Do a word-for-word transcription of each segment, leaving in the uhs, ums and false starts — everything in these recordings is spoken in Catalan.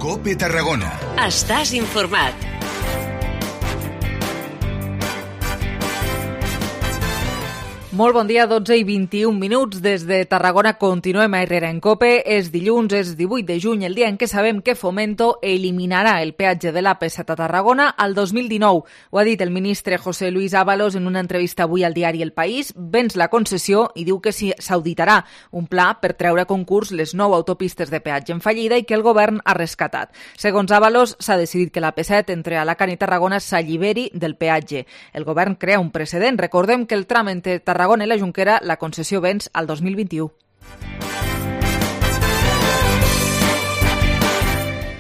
COPE Tarragona. Estàs informat. Molt bon dia, dotze i vint-i-un minuts. Des de Tarragona continuem a Herrera en COPE. És dilluns, és divuit de juny, el dia en què sabem que Fomento eliminarà el peatge de l'A P set a Tarragona al dos mil dinou. Ho ha dit el ministre José Luis Ábalos en una entrevista avui al diari El País. Venç la concessió i diu que s'auditarà un pla per treure a concurs les nou autopistes de peatge en fallida i que el govern ha rescatat. Segons Ábalos, s'ha decidit que l'A P set entre Alacant i Tarragona s'alliberi del peatge. El govern crea un precedent. Recordem que el tram entre Tarragona Tarragona i la Jonquera, la concessió venç al dos mil vint-i-u.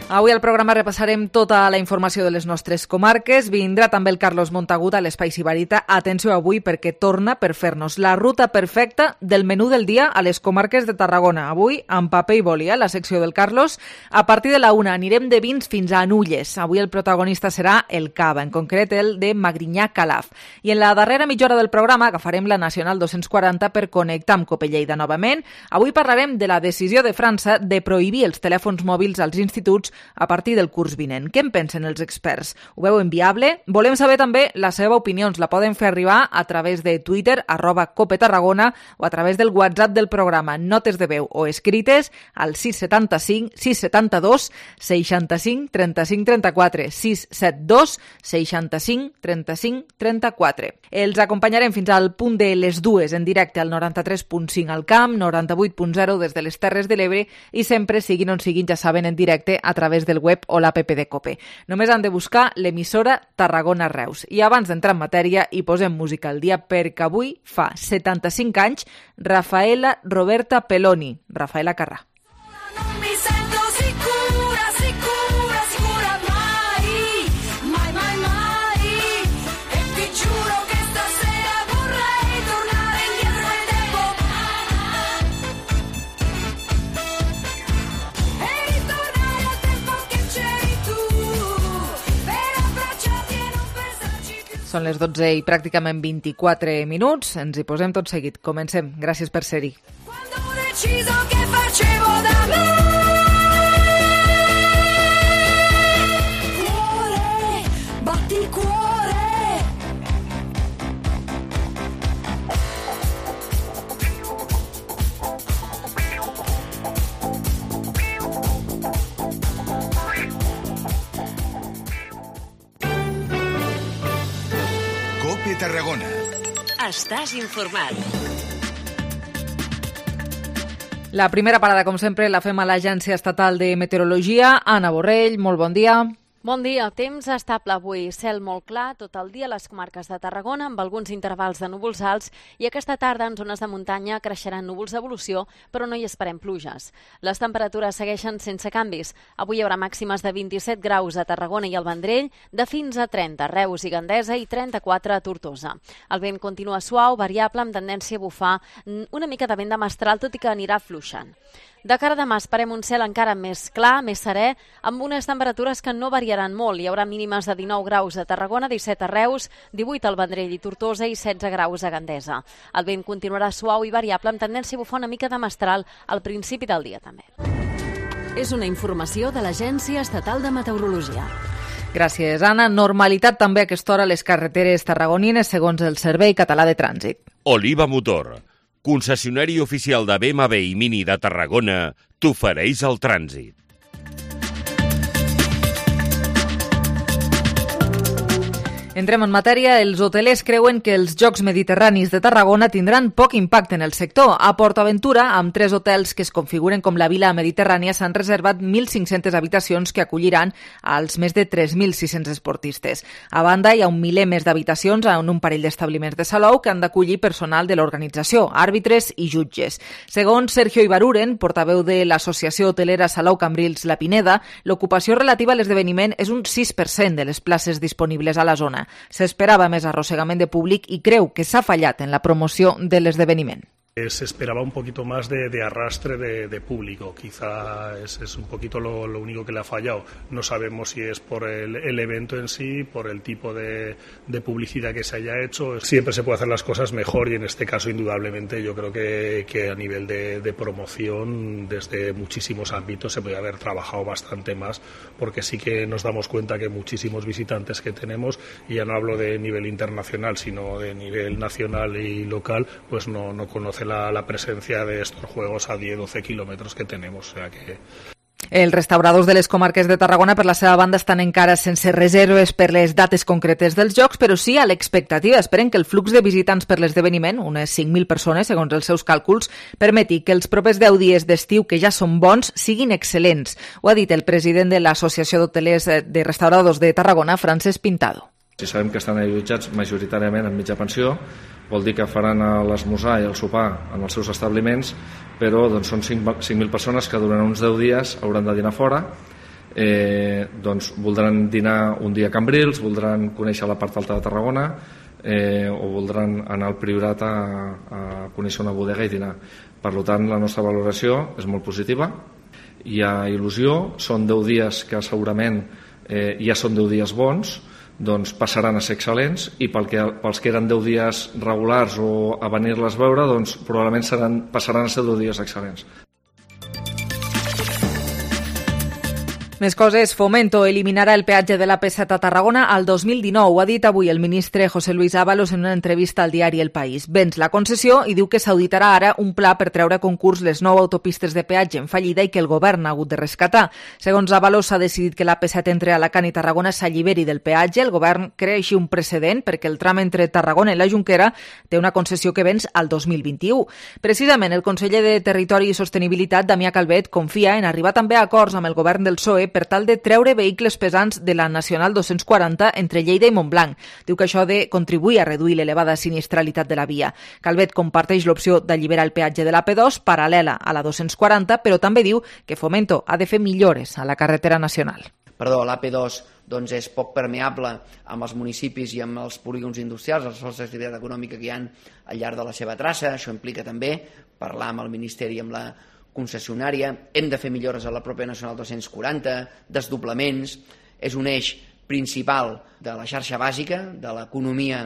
Avui al programa repassarem tota la informació de les nostres comarques. Vindrà també el Carlos Montagut a l'Espai Sibarita. Atenció avui perquè torna per fer-nos la ruta perfecta del menú del dia a les comarques de Tarragona. Avui amb paper i boli, eh, la secció del Carlos. A partir de la una anirem de vins fins a Nulles. Avui el protagonista serà el Cava, en concret el de Magrinyà Calaf. I en la darrera mitja hora del programa agafarem la Nacional dos-cents quaranta per connectar amb Cope Lleida novament. Avui parlarem de la decisió de França de prohibir els telèfons mòbils als instituts a partir del curs vinent. Què en pensen els experts? Ho veuen viable? Volem saber també la seva opinió. Ens la poden fer arribar a través de Twitter, arroba Cope Tarragona, o a través del WhatsApp del programa. Notes de veu o escrites al sis setanta cinc sis setanta dos seixanta cinc trenta cinc trenta quatre, sis set dos seixanta cinc trenta cinc trenta quatre. Els acompanyarem fins al punt de les dues en directe al noranta-tres punt cinc al Camp, noranta-vuit punt zero des de les Terres de l'Ebre i sempre, siguin on siguin, ja saben, en directe a través del web o l'app de Cope. Només han de buscar l'emissora Tarragona Reus. I abans d'entrar en matèria hi posem música al dia perquè avui fa setanta-cinc anys Rafaela Roberta Peloni, Rafaela Carrà. Són les dotze i pràcticament vint-i-quatre minuts. Ens hi posem tot seguit. Comencem. Gràcies per ser-hi. COPE Tarragona. Estàs informat. La primera parada, com sempre, la fem a l'Agència Estatal de Meteorologia. Anna Borrell, molt bon dia. Bon dia. Temps estable avui. Cel molt clar tot el dia a les comarques de Tarragona amb alguns intervals de núvols alts i aquesta tarda en zones de muntanya creixeran núvols d'evolució, però no hi esperem pluges. Les temperatures segueixen sense canvis. Avui hi haurà màximes de vint-i-set graus a Tarragona i al Vendrell, de fins a trenta a Reus i Gandesa i trenta-quatre a Tortosa. El vent continua suau, variable, amb tendència a bufar una mica de vent de mestral, tot i que anirà fluixant. De cara a demà esperem un cel encara més clar, més serè, amb unes temperatures que no variaran molt. Hi haurà mínimes de dinou graus a Tarragona, disset a Reus, divuit al Vendrell i Tortosa i setze graus a Gandesa. El vent continuarà suau i variable, amb tendència a bufar una mica de mestral al principi del dia també. És una informació de l'Agència Estatal de Meteorologia. Gràcies, Anna. Normalitat també a aquesta hora a les carreteres tarragonines, segons el Servei Català de Trànsit. Oliva Motor, concessionari oficial de B M W i Mini de Tarragona, t'ofereix el trànsit. Entrem en matèria. Els hotelers creuen que els Jocs Mediterranis de Tarragona tindran poc impacte en el sector. A PortAventura, amb tres hotels que es configuren com la Vila Mediterrània, s'han reservat mil cinc-centes habitacions que acolliran als més de tres mil sis-cents esportistes. A banda, hi ha un miler més d'habitacions en un parell d'establiments de Salou que han d'acollir personal de l'organització, àrbitres i jutges. Segons Sergio Ibaruren, portaveu de l'Associació Hotelera Salou Cambrils La Pineda, l'ocupació relativa a l'esdeveniment és un sis per cent de les places disponibles a la zona. S'esperava més arrossegament de públic i creu que s'ha fallat en la promoció de l'esdeveniment. Se esperaba un poquito más de, de arrastre de, de público, quizá es, es un poquito lo, lo único que le ha fallado. No sabemos si es por el, el evento en sí, por el tipo de, de publicidad que se haya hecho. Siempre se puede hacer las cosas mejor y en este caso indudablemente yo creo que, que a nivel de, de promoción desde muchísimos ámbitos se puede haber trabajado bastante más, porque sí que nos damos cuenta que muchísimos visitantes que tenemos, y ya no hablo de nivel internacional sino de nivel nacional y local, pues no, no conocen La, la presencia de estos juegos a diez a doce kilòmetres que tenemos. O sea que... Els restauradors de les comarques de Tarragona, per la seva banda, estan encara sense reserves per les dates concretes dels jocs, però sí a l'expectativa. Esperen que el flux de visitants per l'esdeveniment, unes cinc mil persones, segons els seus càlculs, permeti que els propers deu dies d'estiu, que ja són bons, siguin excel·lents. Ho ha dit el president de l'Associació d'Hotelers de Restauradors de Tarragona, Francesc Pintado. Si sabem que estan allotjats majoritàriament en mitja pensió, vol dir que faran l'esmorzar i el sopar en els seus establiments, però doncs, són cinc mil persones que durant uns deu dies hauran de dinar fora, eh, doncs, voldran dinar un dia a Cambrils, voldran conèixer la part alta de Tarragona, eh, o voldran anar al Priorat a, a conèixer una bodega i dinar. Per tant, la nostra valoració és molt positiva, hi ha il·lusió, són deu dies que segurament eh, ja són deu dies bons, doncs passaran a ser excel·lents, i pel que, pels que eren deu dies regulars o a venir-les veure, doncs probablement seran, passaran a ser deu dies excel·lents. Més coses. Fomento eliminarà el peatge de l'A P set a Tarragona al dos mil dinou. Ho ha dit avui el ministre José Luis Ábalos en una entrevista al diari El País. Venç la concessió i diu que s'auditarà ara un pla per treure a concurs les nou autopistes de peatge en fallida i que el govern ha hagut de rescatar. Segons Ábalos, s'ha decidit que l'A P set entre Alacant i Tarragona s'alliberi del peatge. El govern crea així un precedent perquè el tram entre Tarragona i la Jonquera té una concessió que venç al dos mil vint-i-u. Precisament, el conseller de Territori i Sostenibilitat, Damià Calvet, confia en arribar també a acords amb el govern del P S O E per tal de treure vehicles pesants de la Nacional dos-cents quaranta entre Lleida i Montblanc. Diu que això ha de contribuir a reduir l'elevada sinistralitat de la via. Calvet comparteix l'opció d'alliberar el peatge de la P dos paral·lela a la dos-cents quaranta, però també diu que Fomento ha de fer millores a la carretera nacional. Perdó, l'A P dos doncs, és poc permeable amb els municipis i amb els polígons industrials, els sols d'activitat econòmica que hi ha al llarg de la seva traça. Això implica també parlar amb el Ministeri i amb la concessionària. Hem de fer millores a la pròpia Nacional dos-cents quaranta, desdoblaments. És un eix principal de la xarxa bàsica, de l'economia.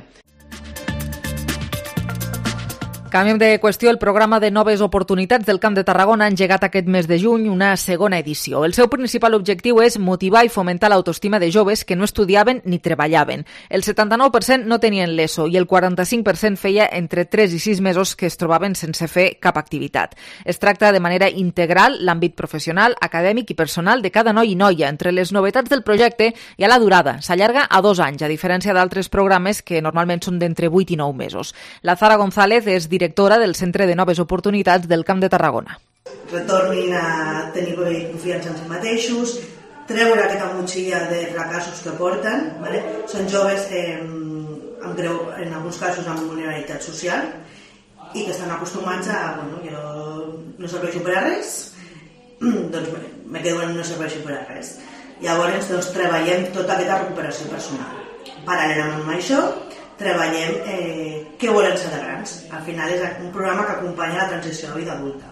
Canviem de qüestió. El programa de Noves Oportunitats del Camp de Tarragona ha engegat aquest mes de juny una segona edició. El seu principal objectiu és motivar i fomentar l'autoestima de joves que no estudiaven ni treballaven. El setanta-nou per cent no tenien l'ESO i el quaranta-cinc per cent feia entre tres i sis mesos que es trobaven sense fer cap activitat. Es tracta de manera integral l'àmbit professional, acadèmic i personal de cada noi i noia. Entre les novetats del projecte hi ha la durada. S'allarga a dos anys, a diferència d'altres programes que normalment són d'entre vuit i nou mesos. La Zara González és directora del Centre de Noves Oportunitats del Camp de Tarragona. Retornin a tenir confiança en si mateixos, treure aquesta motxilla de fracassos que porten. ¿vale? Són joves eh, amb greu, en alguns casos amb vulnerabilitat social i que estan acostumats a, bueno, jo no serveixo per a res, doncs me quedo en no serveixo per a res. Llavors doncs, treballem tota aquesta recuperació personal. Paral·lelament amb això, treballem eh, què volen ser de grans. Al final és un programa que acompanya la transició a la vida adulta.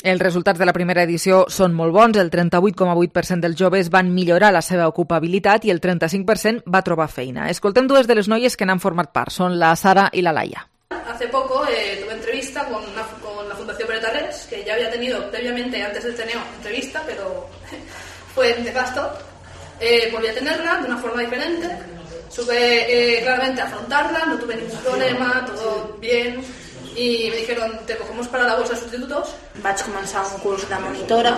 Els resultats de la primera edició són molt bons. El trenta-vuit coma vuit per cent dels joves van millorar la seva ocupabilitat i el trenta-cinc per cent va trobar feina. Escoltem dues de les noies que n'han format part. Són la Sara i la Laia. Hace poco eh, tuve entrevista con, una, con la Fundación Beretarés, que ya había tenido previamente, antes del Teneo, entrevista, pero fue nefasto. Eh, volví a tenerla de una forma diferente. Supe eh, claramente afrontarla, no tuve ningún problema, todo bien, i me dijeron, te cogemos para la bolsa de sustitutos. Vaig començar un curs de monitora,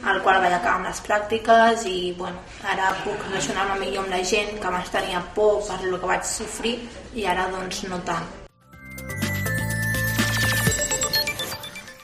al qual vaig acabar amb les pràctiques i bueno, ara puc relacionar-me millor amb la gent, que abans tenia por per el que vaig sofrir i ara doncs no tant.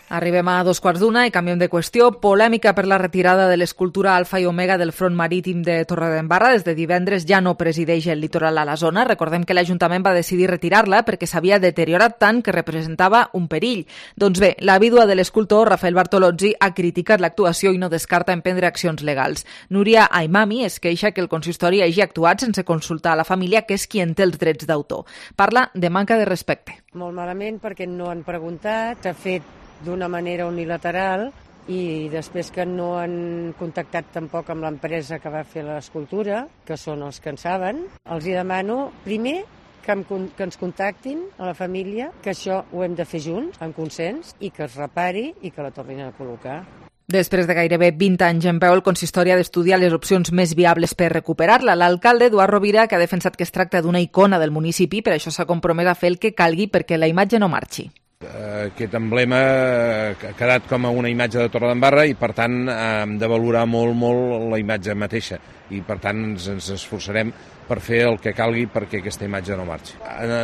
Arribem a dos quarts d'una i canviem de qüestió. Polèmica per la retirada de l'escultura Alfa i Omega del front marítim de Torredembarra. Des de divendres ja no presideix el litoral a la zona. Recordem que l'Ajuntament va decidir retirar-la perquè s'havia deteriorat tant que representava un perill. Doncs bé, la vídua de l'escultor, Rafael Bartolozzi, ha criticat l'actuació i no descarta emprendre accions legals. Núria Aimami es queixa que el consistori hagi actuat sense consultar a la família, que és qui en té els drets d'autor. Parla de manca de respecte. Molt malament perquè no han preguntat, s'ha fet d'una manera unilateral i després que no han contactat tampoc amb l'empresa que va fer l'escultura, que són els que en saben, els hi demano primer que, em, que ens contactin a la família, que això ho hem de fer junts, en consens, i que es repari i que la tornin a col·locar. Després de gairebé vint anys en peu, el consistori ha d'estudiar les opcions més viables per recuperar-la. L'alcalde, Eduard Rovira, que ha defensat que es tracta d'una icona del municipi, per això s'ha compromès a fer el que calgui perquè la imatge no marxi. Aquest emblema ha quedat com a una imatge de Torredembarra i, per tant, hem de valorar molt, molt la imatge mateixa. I, per tant, ens, ens esforçarem per fer el que calgui perquè aquesta imatge no marxi.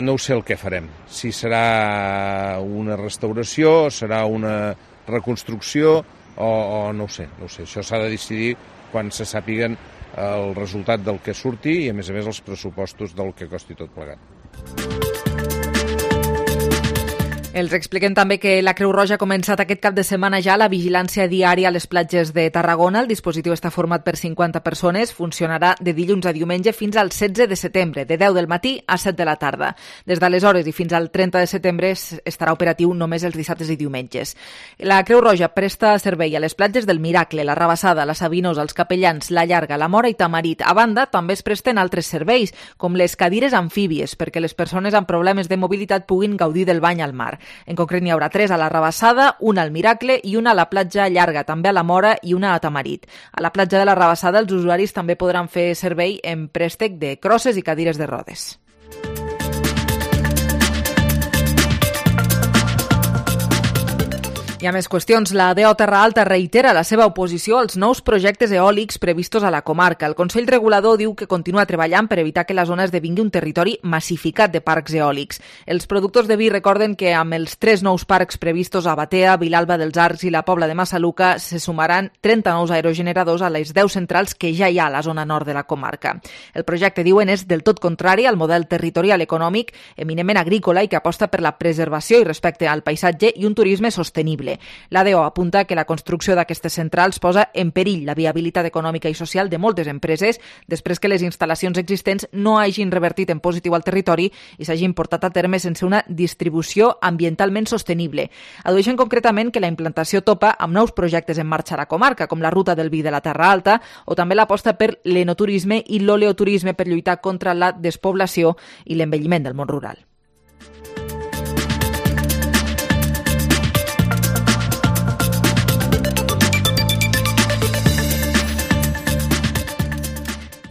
No ho sé el que farem. Si serà una restauració, serà una reconstrucció o, o no ho sé. No ho sé. Això s'ha de decidir quan se sàpiguen el resultat del que surti i, a més a més, els pressupostos del que costi tot plegat. Els expliquem també que la Creu Roja ha començat aquest cap de setmana ja la vigilància diària a les platges de Tarragona. El dispositiu està format per cinquanta persones, funcionarà de dilluns a diumenge fins al setze de setembre, de deu del matí a set de la tarda. Des d'aleshores i fins al trenta de setembre estarà operatiu només els dissabtes i diumenges. La Creu Roja presta servei a les platges del Miracle, la Rabassada, la Sabinosa, els Capellans, la Llarga, la Mora i Tamarit. A banda, també es presten altres serveis, com les cadires amfíbies, perquè les persones amb problemes de mobilitat puguin gaudir del bany al mar. En concret n'hi haurà tres a la Rabassada, una al Miracle i una a la platja Llarga, també a la Mora i una a Tamarit. A la platja de la Rabassada els usuaris també podran fer servei en préstec de crosses i cadires de rodes. Hi ha més qüestions. La D O Terra Alta reitera la seva oposició als nous projectes eòlics previstos a la comarca. El Consell Regulador diu que continua treballant per evitar que la zona esdevingui un territori massificat de parcs eòlics. Els productors de vi recorden que amb els tres nous parcs previstos a Batea, Vilalba dels Arcs i la Pobla de Massaluca se sumaran trenta nous aerogeneradors a les deu centrals que ja hi ha a la zona nord de la comarca. El projecte, diuen, és del tot contrari al model territorial econòmic eminentment agrícola i que aposta per la preservació i respecte al paisatge i un turisme sostenible. La D O apunta que la construcció d'aquestes centrals posa en perill la viabilitat econòmica i social de moltes empreses després que les instal·lacions existents no hagin revertit en positiu al territori i s'hagin portat a terme sense una distribució ambientalment sostenible. Adueixen concretament que la implantació topa amb nous projectes en marxa a la comarca, com la Ruta del Vi de la Terra Alta o també l'aposta per l'enoturisme i l'oleoturisme per lluitar contra la despoblació i l'envelliment del món rural.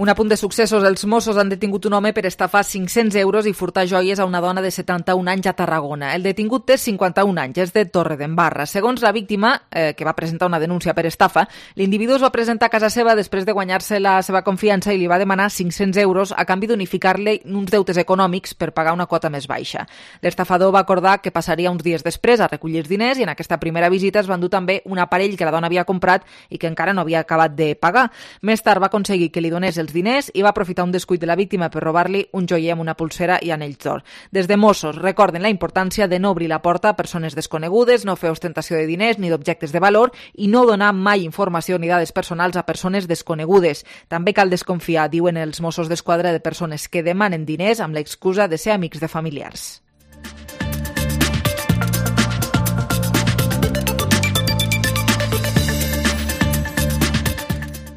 Un apunt de successos. Els Mossos han detingut un home per estafar cinc-cents euros i furtar joies a una dona de setanta-un anys a Tarragona. El detingut té cinquanta-un anys, és de Torredembarra. Segons la víctima, eh, que va presentar una denúncia per estafa, l'individu es va presentar a casa seva després de guanyar-se la seva confiança i li va demanar cinc-cents euros a canvi d'unificar-li uns deutes econòmics per pagar una quota més baixa. L'estafador va acordar que passaria uns dies després a recollir els diners i en aquesta primera visita es van dur també un aparell que la dona havia comprat i que encara no havia acabat de pagar. Més tard va aconseguir que li donés els diners i va aprofitar un descuit de la víctima per robar-li un joier amb una pulsera i anells d'or. Des de Mossos recorden la importància de no obrir la porta a persones desconegudes, no fer ostentació de diners ni d'objectes de valor i no donar mai informació ni dades personals a persones desconegudes. També cal desconfiar, diuen els Mossos d'Esquadra, de persones que demanen diners amb l'excusa de ser amics de familiars.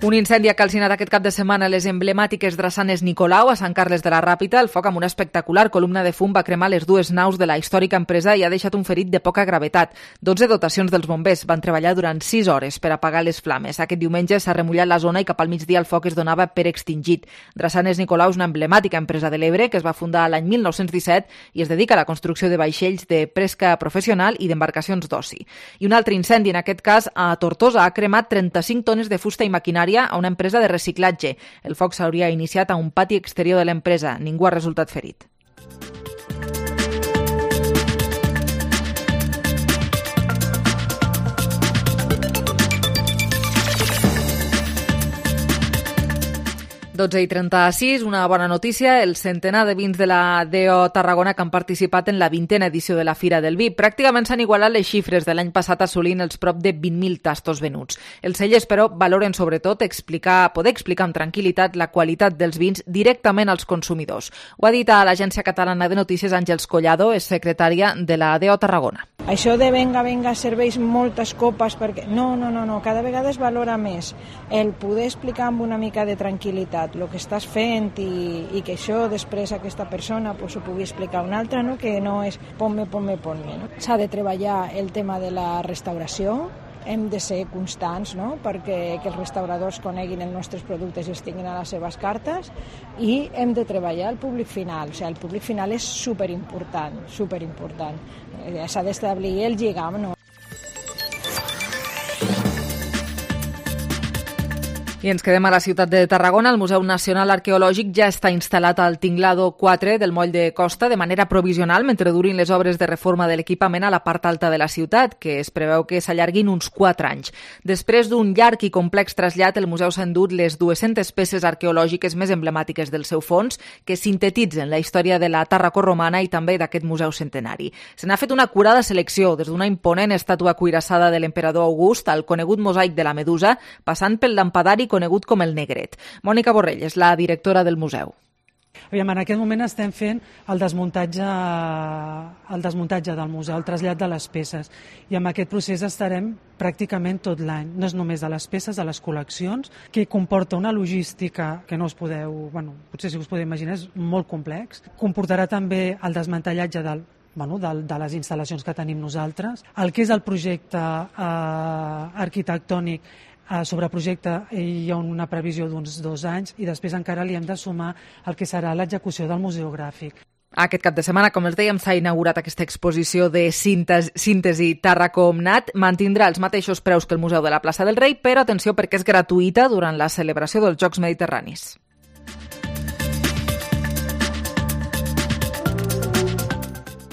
Un incendi ha calcinat aquest cap de setmana les emblemàtiques drassanes Nicolau a Sant Carles de la Ràpita. El foc amb una espectacular columna de fum va cremar les dues naus de la històrica empresa i ha deixat un ferit de poca gravetat. dotze dotacions dels bombers van treballar durant sis hores per apagar les flames. Aquest diumenge s'ha remullat la zona i cap al migdia el foc es donava per extingit. Drassanes Nicolau és una emblemàtica empresa de l'Ebre que es va fundar l'any mil nou-cents disset i es dedica a la construcció de vaixells de pesca professional i d'embarcacions d'oci. I un altre incendi, en aquest cas a Tortosa, ha cremat trenta-cinc tones de fusta i maquinària a una empresa de reciclatge. El foc s'hauria iniciat a un pati exterior de l'empresa. Ningú ha resultat ferit. dotze i trenta-sis, una bona notícia, el centenar de vins de la D O Tarragona que han participat en la vintena edició de la Fira del Vi. Pràcticament s'han igualat les xifres de l'any passat assolint els prop de vint mil tastos venuts. Els cellers, però, valoren sobretot explicar, poder explicar amb tranquil·litat la qualitat dels vins directament als consumidors. Ho ha dit a l'Agència Catalana de Notícies Àngels Collado, és secretària de la D O Tarragona. Això de venga, venga, serveix moltes copes perquè... No, no, no, no, cada vegada es valora més el poder explicar amb una mica de tranquil·litat el que estàs fent i, i que això després aquesta persona pues, ho pugui explicar a una altra, no? Que no és ponme, ponme, ponme. No? S'ha de treballar el tema de la restauració, hem de ser constants, no? Perquè que els restauradors coneguin els nostres productes i els tinguin a les seves cartes, i hem de treballar el públic final. O sigui, el públic final és superimportant, superimportant. S'ha d'establir el lligam, no? I ens quedem a la ciutat de Tarragona. El Museu Nacional Arqueològic ja està instal·lat al tinglado quatre del moll de Costa de manera provisional mentre durin les obres de reforma de l'equipament a la part alta de la ciutat, que es preveu que s'allarguin uns quatre anys. Després d'un llarg i complex trasllat, el museu s'ha endut les dues-centes peces arqueològiques més emblemàtiques del seu fons, que sintetitzen la història de la Tarraco-romana i també d'aquest museu centenari. Se n'ha fet una acurada selecció, des d'una imponent estàtua cuirassada de l'emperador August al conegut mosaic de la Medusa, passant pel lampadari conegut com el Negret. Mònica Borrell és la directora del museu. Aviam, en aquest moment estem fent el desmuntatge, el desmuntatge del museu, el trasllat de les peces, i amb aquest procés estarem pràcticament tot l'any. No és només de les peces, de les col·leccions, que comporta una logística que no us podeu, bueno, potser si us podeu imaginar, és molt complex. Comportarà també el desmantellatge del Bueno, de, de les instal·lacions que tenim nosaltres. El que és el projecte eh, arquitectònic, eh, sobre projecte hi ha una previsió d'uns dos anys i després encara li hem de sumar el que serà l'execució del museogràfic. Aquest cap de setmana, com els dèiem, s'ha inaugurat aquesta exposició de síntesi, síntesi Tarracomnat. Mantindrà els mateixos preus que el Museu de la Plaça del Rei, però atenció perquè és gratuïta durant la celebració dels Jocs Mediterranis.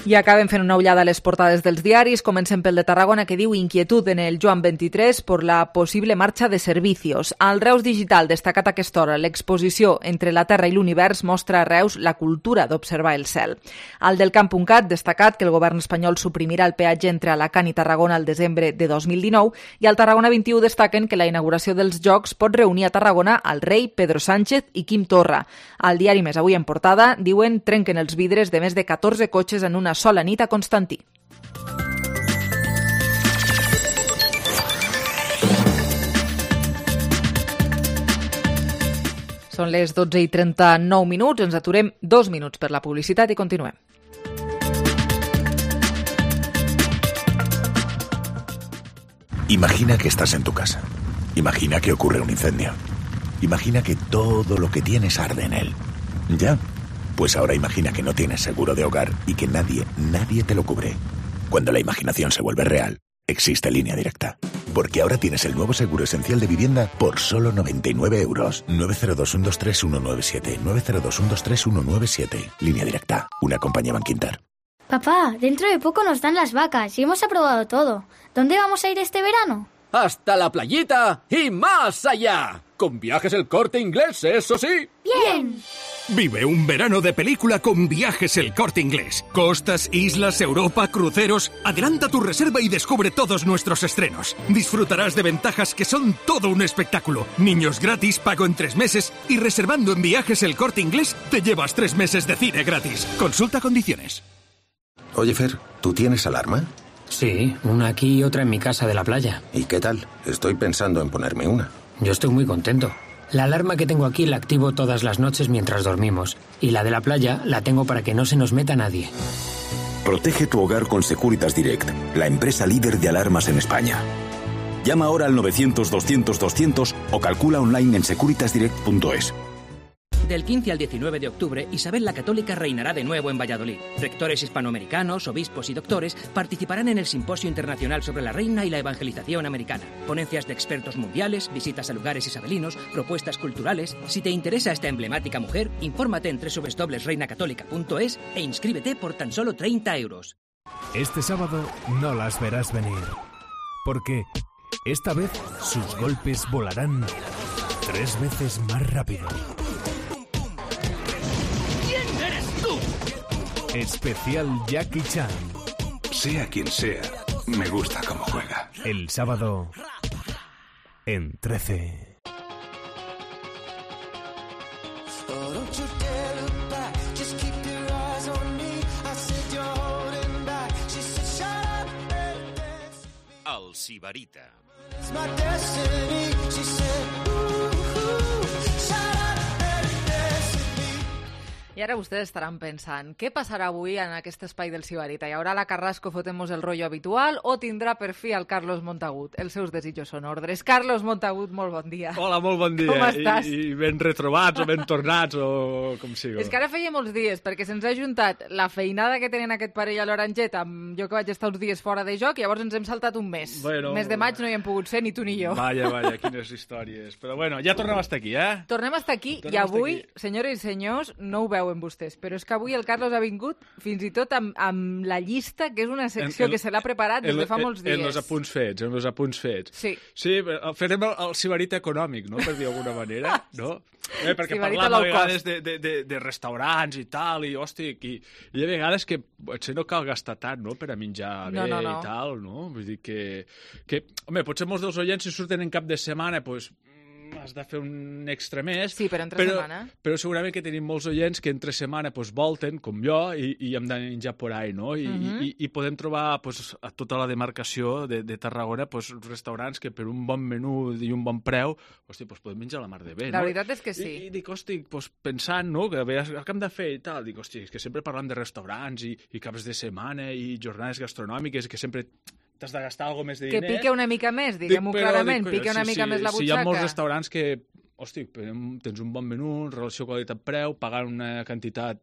I acabem fent una ullada a les portades dels diaris. Comencem pel de Tarragona, que diu inquietud en el Joan veintitrés por la posible marxa de servicios. Al Reus Digital, destacat a aquesta hora, l'exposició Entre la Terra i l'Univers mostra a Reus la cultura d'observar el cel. Al del Camp punt cat, destacat que el govern espanyol suprimirà el peatge entre Alacant i Tarragona al desembre de dos mil dinou, i al Tarragona vint-i-u destaquen que la inauguració dels Jocs pot reunir a Tarragona al rei, Pedro Sánchez i Quim Torra. Al diari Més Avui en portada, diuen trenquen els vidres de més de catorze cotxes en una sola nit a Constantí. Són les dotze i trenta-nou minuts, ens aturem dos minuts per la publicitat i continuem. Imagina que estás en tu casa. Imagina que ocurre un incendio. Imagina que todo lo que tienes arde en él. ¿Ya? Pues ahora imagina que no tienes seguro de hogar y que nadie, nadie te lo cubre. Cuando la imaginación se vuelve real, existe Línea Directa. Porque ahora tienes el nuevo seguro esencial de vivienda por solo noventa y nueve euros. nueve cero dos uno dos tres uno nueve siete. nueve cero dos uno dos tres uno nueve siete. Línea Directa. Una compañía Bankinter. Papá, dentro de poco nos dan las vacas y hemos aprobado todo. ¿Dónde vamos a ir este verano? Hasta la playita y más allá. Con Viajes El Corte Inglés, eso sí. ¡Bien! Vive un verano de película con Viajes El Corte Inglés. Costas, islas, Europa, cruceros. Adelanta tu reserva y descubre todos nuestros estrenos. Disfrutarás de ventajas que son todo un espectáculo. Niños gratis, pago en tres meses y reservando en Viajes El Corte Inglés te llevas tres meses de cine gratis. Consulta condiciones. Oye, Fer, ¿tú tienes alarma? Sí, una aquí y otra en mi casa de la playa. ¿Y qué tal? Estoy pensando en ponerme una. Yo estoy muy contento. La alarma que tengo aquí la activo todas las noches mientras dormimos. Y la de la playa la tengo para que no se nos meta nadie. Protege tu hogar con Securitas Direct, la empresa líder de alarmas en España. Llama ahora al novecientos doscientos doscientos o calcula online en securitas direct punto es. Del quince al diecinueve de octubre, Isabel la Católica reinará de nuevo en Valladolid. Rectores hispanoamericanos, obispos y doctores participarán en el Simposio Internacional sobre la Reina y la Evangelización Americana. Ponencias de expertos mundiales, visitas a lugares isabelinos, propuestas culturales. Si te interesa esta emblemática mujer, infórmate en doble u doble u doble u punto reina católica punto es e inscríbete por tan solo treinta euros. Este sábado no las verás venir, porque esta vez sus golpes volarán tres veces más rápido. Especial Jackie Chan. Sea quien sea, me gusta cómo juega. El sábado en trece. El Sibarita. I ara vostès estaran pensant, què passarà avui en aquest espai del Sibarita? Hi haurà la Carrasco fotemos el rollo habitual o tindrà per fi el Carlos Montagut? Els seus desitjos són ordres. Carlos Montagut, molt bon dia. Hola, molt bon dia. Com estàs? I, i ben retrobats o ben tornats o com sigui. És que ara feia molts dies, perquè se'ns ha juntat la feinada que tenen aquest parell a l'Oranget amb jo que vaig estar uns dies fora de joc i llavors ens hem saltat un mes. Bueno, mes de maig no hi hem pogut ser ni tu ni jo. Vaya, vaya, quines històries. Però bueno, ja tornem a estar aquí, eh? Tornem a estar aquí tornem i avui, senyores i senyors, no ho veuen vostès, però és que avui el Carlos ha vingut fins i tot amb, amb la llista, que és una secció en, en, que se l'ha preparat des de fa molts dies. En els apunts fets, en els apunts fets. Sí. Sí, farem el, el Sibarita econòmic, no?, per dir d'alguna manera, no? Eh, perquè Sibarita parlam a vegades de, de, de, de restaurants i tal, i hòstia, i, i hi ha vegades que potser no cal gastar tant, no?, per a menjar bé no, no, no. i tal, no? Vull dir que, que... Home, potser molts dels oients, si surten en cap de setmana, doncs... has de fer un extra més. Sí, però entre però, setmana. Però segurament que tenim molts oients que entre setmana pues, volten, com jo, i, i hem de menjar por ahí, no? I, uh -huh. i, i podem trobar pues, a tota la demarcació de, de Tarragona pues, restaurants que per un bon menú i un bon preu hosti, pues, podem menjar la mar de bé, la no? veritat és que sí. I, i dic, hosti, pues, pensant, no?, que veus el que hem de fer i tal, dic, hosti, és que sempre parlam de restaurants i, i caps de setmana i jornades gastronòmiques que sempre... t'has de gastar alguna més de diners. Que pique una mica més, diguem-ho clarament, dic, pique una sí, mica sí, més la butxaca. Sí, hi ha molts restaurants que, hosti, tens un bon menú, relació qualitat-preu, pagant una quantitat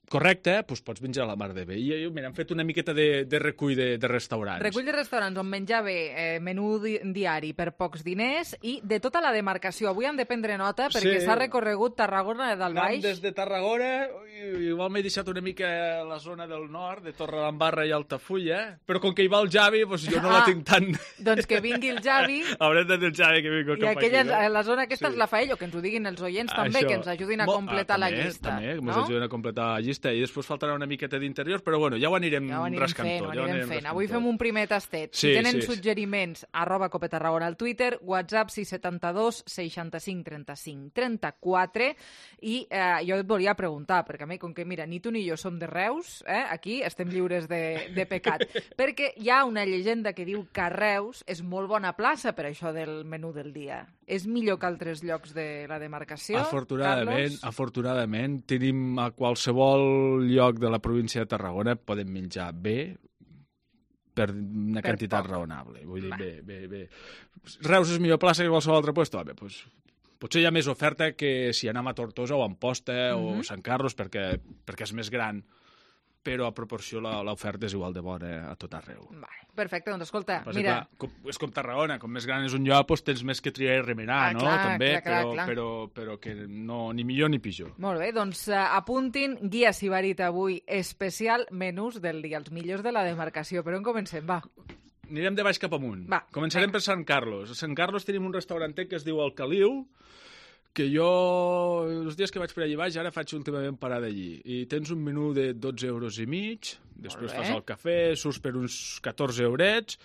correcte, doncs pots menjar la mar de bé. I mira, hem fet una miqueta de, de recull de, de restaurants. Recull de restaurants on menjar bé, eh, menú di diari per pocs diners i de tota la demarcació. Avui hem de prendre nota perquè s'ha sí. recorregut Tarragona del Baix. Anem des de Tarragona, igual m'he deixat una mica la zona del nord, de Torredembarra i Altafulla, però com que hi va el Javi, doncs jo no ah, la tinc tan... Doncs que vingui el Javi. Haurem de dir el Javi que vingui cap aquella, aquí. I la zona aquesta sí. és la fa ell, o que ens ho diguin els oients també, Això. que ens ajudin a completar ah, també, la llista. També, que no? ens ajudin a completar la llista i després faltarà una miqueta d'interior, però bueno, ja ho anirem, ja ho anirem rascant fent, tot. Ja ho anirem fent. Avui fem un primer tastet. Sí, si tenen sí, suggeriments, sí. arroba Cope Tarragona al Twitter, WhatsApp sis setanta dos seixanta cinc trenta cinc trenta quatre i eh, jo et volia preguntar, perquè a mi, com que mira, ni tu ni jo som de Reus, eh, aquí estem lliures de, de pecat, perquè hi ha una llegenda que diu que Reus és molt bona plaça per això del menú del dia. És millor que altres llocs de la demarcació, Afortunadament, Carlos? afortunadament, tenim a qualsevol lloc de la província de Tarragona podem menjar bé per una per quantitat poc. raonable. Vull dir, bé, bé, bé. Reus és millor plaça que qualsevol altre lloc? Home, doncs, potser hi ha més oferta que si anem a Tortosa o a Amposta mm -hmm. o Sant Carlos perquè, perquè és més gran, però a proporció l'oferta és igual de bona a tot arreu. Vale, perfecte, doncs escolta, Però, mira... Clar, com, és com Tarragona, com més gran és un lloc, doncs tens més que triar i remenar, ah, no? Clar, També, clar, clar, però, clar. Però, però que no, ni millor ni pitjor. Molt bé, doncs uh, apuntin Guia Sibarita avui, especial menús del dia, els millors de la demarcació. Per on comencem, va? Anirem de baix cap amunt. Va, Començarem per Sant Carlos. A Sant Carlos tenim un restaurantet que es diu El Caliu, que jo, els dies que vaig per allà baix, ara faig últimament parada allí. I tens un menú de dotze euros i mig, després fas el cafè, surts per uns catorze eurets,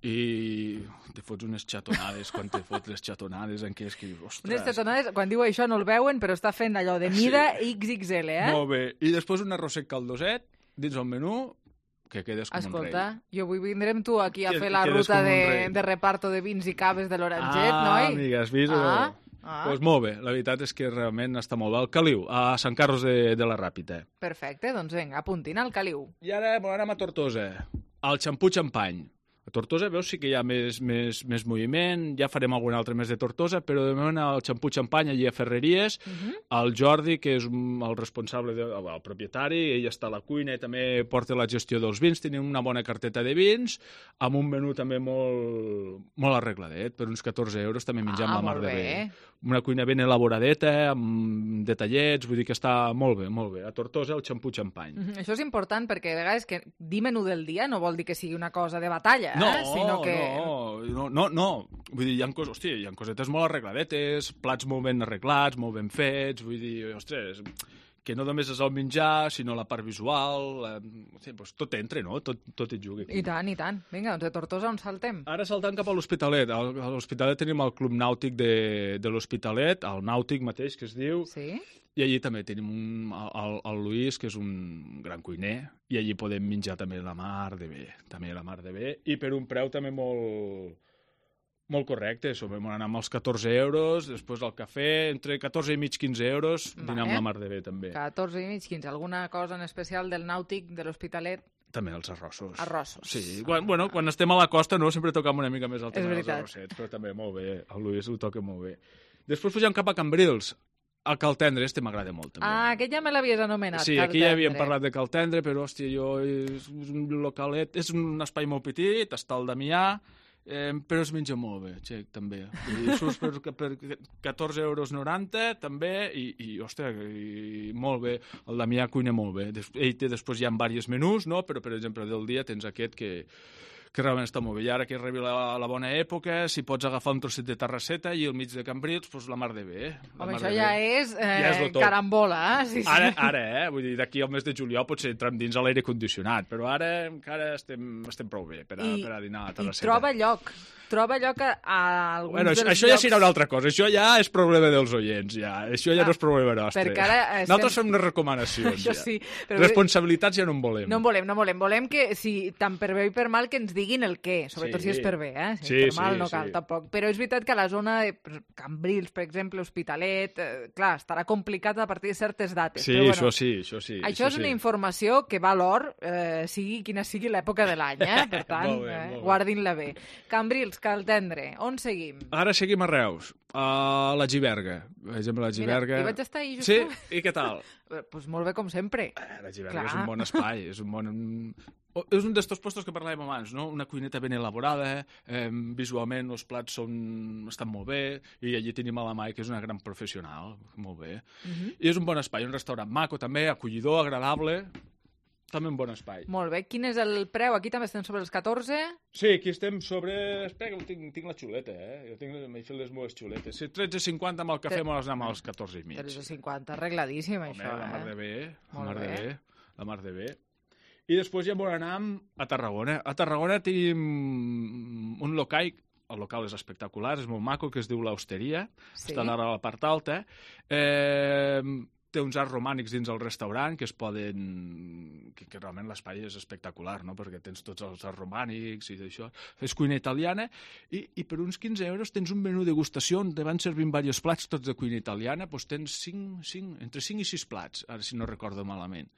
i te fots unes xatonades, quan te fots les xatonades en què és que dius, ostres... Unes xatonades, quan diu això no el veuen, però està fent allò de mida sí. X X L, eh? Molt bé. I després un arrosset caldoset dins el menú, que quedes com Escolta, un rei. Escolta, jo vull vindre amb tu aquí a que, fer la ruta de, de reparto de vins i caves de l'Oranget, ah, noi? Ah, amiga, has vist? Ah. Ah. Doncs molt bé, la veritat és que realment està molt bé. El Caliu, a Sant Carlos de, de la Ràpita. Perfecte, doncs vinga, apuntin al Caliu. I ara anem a Tortosa, al Xampú Xampany. A Tortosa veus sí que hi ha més, més, més moviment, ja farem algun altre més de Tortosa, però de moment al Xampú Xampany allí a Ferreries, uh -huh. el Jordi, que és el responsable, de, el propietari, ell està a la cuina i també porta la gestió dels vins, tenim una bona carteta de vins, amb un menú també molt, molt arregladet, per uns catorze euros també menjam ah, la mar de bé. bé. Una cuina ben elaboradeta, amb detallets, vull dir que està molt bé, molt bé. A Tortosa, el Xampú Xampany. Uh -huh. Això és important perquè a vegades que dir menú del dia no vol dir que sigui una cosa de batalla, no, eh? Sinó que... no, no, no, no. Vull dir, hi ha, cos, hòstia, hi ha cosetes molt arregladetes, plats molt ben arreglats, molt ben fets, vull dir, ostres, que no només és el menjar, sinó la part visual, eh, sí, doncs tot entra, no? Tot, tot hi juga. I tant, i tant. Vinga, doncs de Tortosa on saltem? Ara saltant cap a l'Hospitalet. A l'Hospitalet tenim el Club Nàutic de, de l'Hospitalet, el Nàutic mateix, que es diu. Sí. I allí també tenim un, el, el Luis, que és un gran cuiner, i allí podem menjar també la mar de bé, també la mar de bé, i per un preu també molt, molt correcte. Vam anar amb els catorze euros, després el cafè, entre catorze i mig, quinze euros, dinar amb la mar de bé també. catorze i mig, quinze. Alguna cosa en especial del Nàutic, de l'Hospitalet? També els arrossos. Arrossos. Sí, quan, bueno, quan estem a la costa no, sempre tocam una mica més el tema És dels arrossets, però també molt bé, el Luis ho toca molt bé. Després pugem cap a Cambrils, el Caltendre, este m'agrada molt també. Ah, aquest ja me l'havies anomenat, Sí, Caltendre. aquí ja havíem parlat de Caltendre, però hòstia, jo, és un localet, és un espai molt petit, està al Damià, eh, però es menja molt bé, xec, també. I surts per, per catorze euros noranta, també, i, i ostres, i molt bé. El Damià cuina molt bé. Des, ell té, després hi ha diversos menús, no? Però, per exemple, del dia tens aquest que que realment està molt bé. I ara que arriba la, la bona època, si pots agafar un trosset de terrasseta i al mig de Cambrils, doncs la mar de bé. Home, això ja bé. és, eh, ja és carambola, eh? Sí, sí. Ara, ara, eh? Vull dir, d'aquí al mes de juliol potser entrem dins a l'aire condicionat, però ara encara estem, estem prou bé per a, I, per a dinar a la I terrasseta. troba lloc. Troba lloc a, a alguns bueno, dels això llocs... ja serà una altra cosa. Això ja és problema dels oients, ja. Això ja ah, no és problema nostre. Perquè ara estem... Nosaltres fem unes recomanacions, això ja. Sí, però... Responsabilitats ja no en volem. No en volem, no en volem. Volem que, si tant per bé i per mal, que ens diguin el què. Sobretot sí. si és per bé, eh? Si sí, és per mal sí, no cal, sí. tampoc. Però és veritat que a la zona de Cambrils, per exemple, Hospitalet, eh, clar, estarà complicat a partir de certes dates. Sí, però, bueno, això sí, això sí. Això és sí. una informació que val or, eh, sigui quina sigui l'època de l'any, eh? Per tant, molt bé, eh, molt bé. guardin-la bé. Cambrils, Caltendre, on seguim? Ara seguim a Reus, a la Giberga. Per exemple, la Giberga... Mira, hi vaig estar ahir just... Sí? I què tal? Doncs pues molt bé, com sempre. La Giberga Clar. és un bon espai, és un bon... És un d'estos puestos que parlàvem abans, no? Una cuineta ben elaborada, eh, visualment els plats són, estan molt bé, i allí tenim a la Mai, que és una gran professional, molt bé. Uh -huh. I és un bon espai, un restaurant maco també, acollidor, agradable, també un bon espai. Molt bé. Quin és el preu? Aquí també estem sobre els catorze? Sí, aquí estem sobre... Espera, que tinc, tinc la xuleta, eh? Jo tinc, m'he fet les meves xuletes. Sí, tretze cinquanta amb el cafè, Tre... mos anem als catorze i mig. tretze cinquanta, arregladíssim, Home, això, la mar eh? de bé, la Molt mar bé. de bé, la mar de bé. I després ja volem anar a Tarragona. A Tarragona tenim un local, el local és espectacular, és molt maco, que es diu l'Hosteria, Sí. està ara a la part alta. Eh, té uns arts romànics dins el restaurant que es poden... que, que realment l'espai és espectacular, no? Perquè tens tots els arts romànics i d'això. És cuina italiana i, i per uns quinze euros tens un menú degustació on te van servint diversos plats tots de cuina italiana, doncs tens cinc, cinc, entre cinc i sis plats, ara si no recordo malament.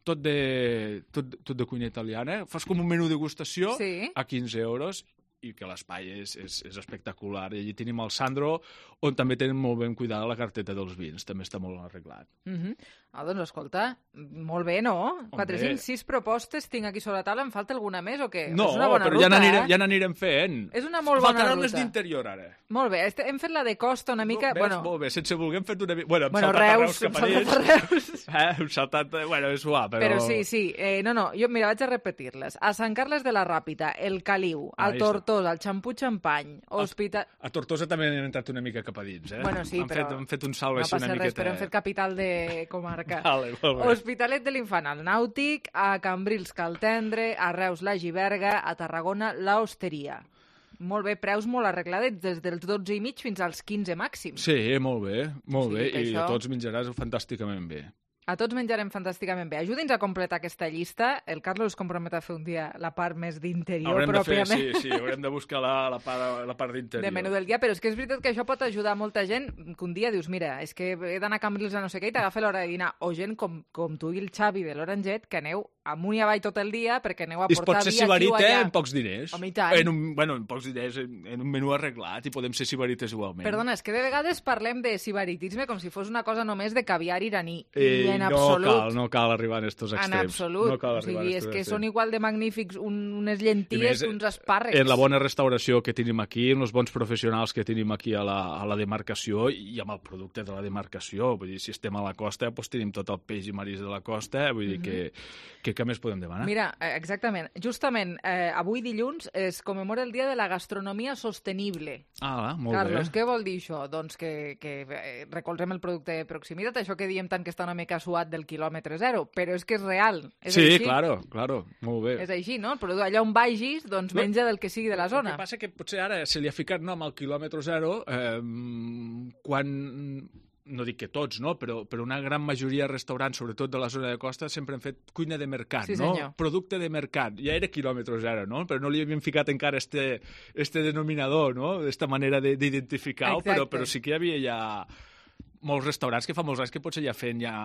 Tot de, tot, tot de cuina italiana. Fas com un menú degustació Sí. a quinze euros i que l'espai és, és, és espectacular. I allí tenim el Sandro, on també tenen molt ben cuidada la carteta dels vins. També està molt arreglat. Uh -huh. Ah, doncs escolta, molt bé, no? quatre, cinc, sis propostes tinc aquí sobre la taula. Em falta alguna més o què? No, és una bona però ruta, ja n'anirem, eh? ja n'anirem fent. És una molt bona Faltaran les ruta. d'interior, ara. Molt bé, este- hem fet la de costa una mica... Ves, bueno, molt bé, sense voler hem fet una mica... Bueno, hem Bueno, saltat Reus, a hem Reus cap a saltat dins. a Reus. Eh, hem saltat... Bueno, és suau, però... Però sí, sí. Eh, no, no, jo, mira, vaig a repetir-les. A Sant Carles de la Ràpita, el Caliu, a Ahí està. Tortosa, el Xampú Xampany, Hospital... A Tortosa també han entrat una mica cap a dins, eh? Bueno, sí, han però Fet, han fet un salt no així passa una res, miqueta... però hem fet capital de comarca. Vale, molt bé. Hospitalet de l'Infant, al Nàutic, a Cambrils, Caltendre, a Reus, la Giberga, a Tarragona, la Hosteria. Molt bé, preus molt arregladets, des dels dotze i mig fins als quinze màxims. Sí, molt bé, molt O sigui bé, que i això- a tots menjaràs fantàsticament bé. A tots menjarem fantàsticament bé. Ajudi'ns a completar aquesta llista. El Carlos es compromet a fer un dia la part més d'interior, Haurem de fer, pròpiament. sí, sí, haurem de buscar la, la part, la part d'interior. De menú del dia, però és que és veritat que això pot ajudar molta gent que un dia dius, mira, és que he d'anar a Cambrils a no sé què i t'agafa l'hora de dinar, o gent com, com tu i el Xavi de l'Oranget, que aneu amunt i avall tot el dia perquè aneu a I es pot portar ser vi aquí o sibarit, eh, allà. en pocs diners. Home, i tant. En un, bueno, en pocs diners, en, en un menú arreglat, i podem ser sibarites igualment. Perdona, és que de vegades parlem de sibaritisme com si fos una cosa només de caviar iraní. Eh, I en no absolut. cal, no cal arribar a estos extrems. En absolut. No cal o arribar sigui, a és estos que extrems. són igual de magnífics un, unes I llenties més, que uns espàrrecs. En la bona restauració que tenim aquí, en els bons professionals que tenim aquí a la, a la demarcació i amb el producte de la demarcació. Vull dir, si estem a la costa, doncs tenim tot el peix i maris de la costa, vull dir que, que què més podem demanar? Mira, exactament. Justament, eh, avui dilluns es commemora el Dia de la Gastronomia Sostenible. Ah, molt Carlos, bé. què vol dir això? Doncs que, que recolzem el producte de proximitat, això que diem tant que està una mica suat del quilòmetre zero, però és que és real. És sí, així. claro, claro, molt bé. És així, no? El producte, allà on vagis, doncs menja del que sigui de la zona. El que passa que potser ara se li ha ficat nom al quilòmetre zero eh, quan... no dic que tots, no? però, però una gran majoria de restaurants, sobretot de la zona de costa, sempre han fet cuina de mercat, sí, no? Senyor. Producte de mercat. Ja era quilòmetre zero, no? Però no li havíem ficat encara este, este denominador, no? Esta manera d'identificar-ho, però, però sí que hi havia ja molts restaurants que fa molts anys que potser ja feien ja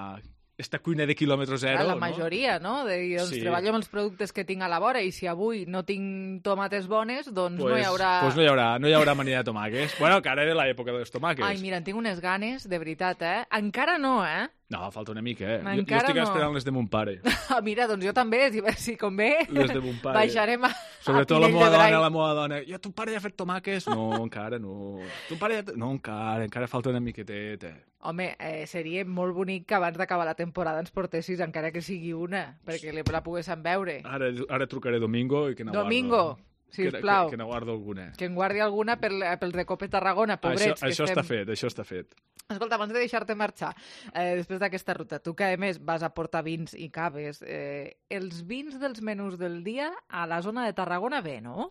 esta cuina de quilòmetre zero, la no? majoria, no? De dir, doncs Sí. treballo amb els productes que tinc a la vora i si avui no tinc tomates bones, doncs Pues, no hi haurà... pues no hi haurà, no hi haurà manida de tomàquets. Bueno, que ara era l'època dels tomàquets. Ai, mira, en tinc unes ganes, de veritat, eh? Encara no, eh? No, falta una mica, eh? Jo, jo Encara estic no. esperant les de mon pare. Ah, mira, doncs jo també, si, si convé, Les de mon pare. baixarem a, Sobretot a la Pinell meva de Brai. dona, la meva dona. Jo, ton pare ja ha fet tomàquets? No, encara no. Ton pare ja... No, encara, encara falta una miqueteta. Home, eh, seria molt bonic que abans d'acabar la temporada ens portessis, encara que sigui una, perquè la poguéssim veure. Ara, ara trucaré Domingo i que n'aguardo. Domingo, sisplau. Que, que n'aguardo alguna. Que en guardi alguna per, pel Recope Tarragona, pobrets. Això, això que està estem... fet, això està fet. Escolta, abans de deixar-te marxar, eh, després d'aquesta ruta, tu que a més vas a portar vins i caves, eh, els vins dels menús del dia a la zona de Tarragona bé, no?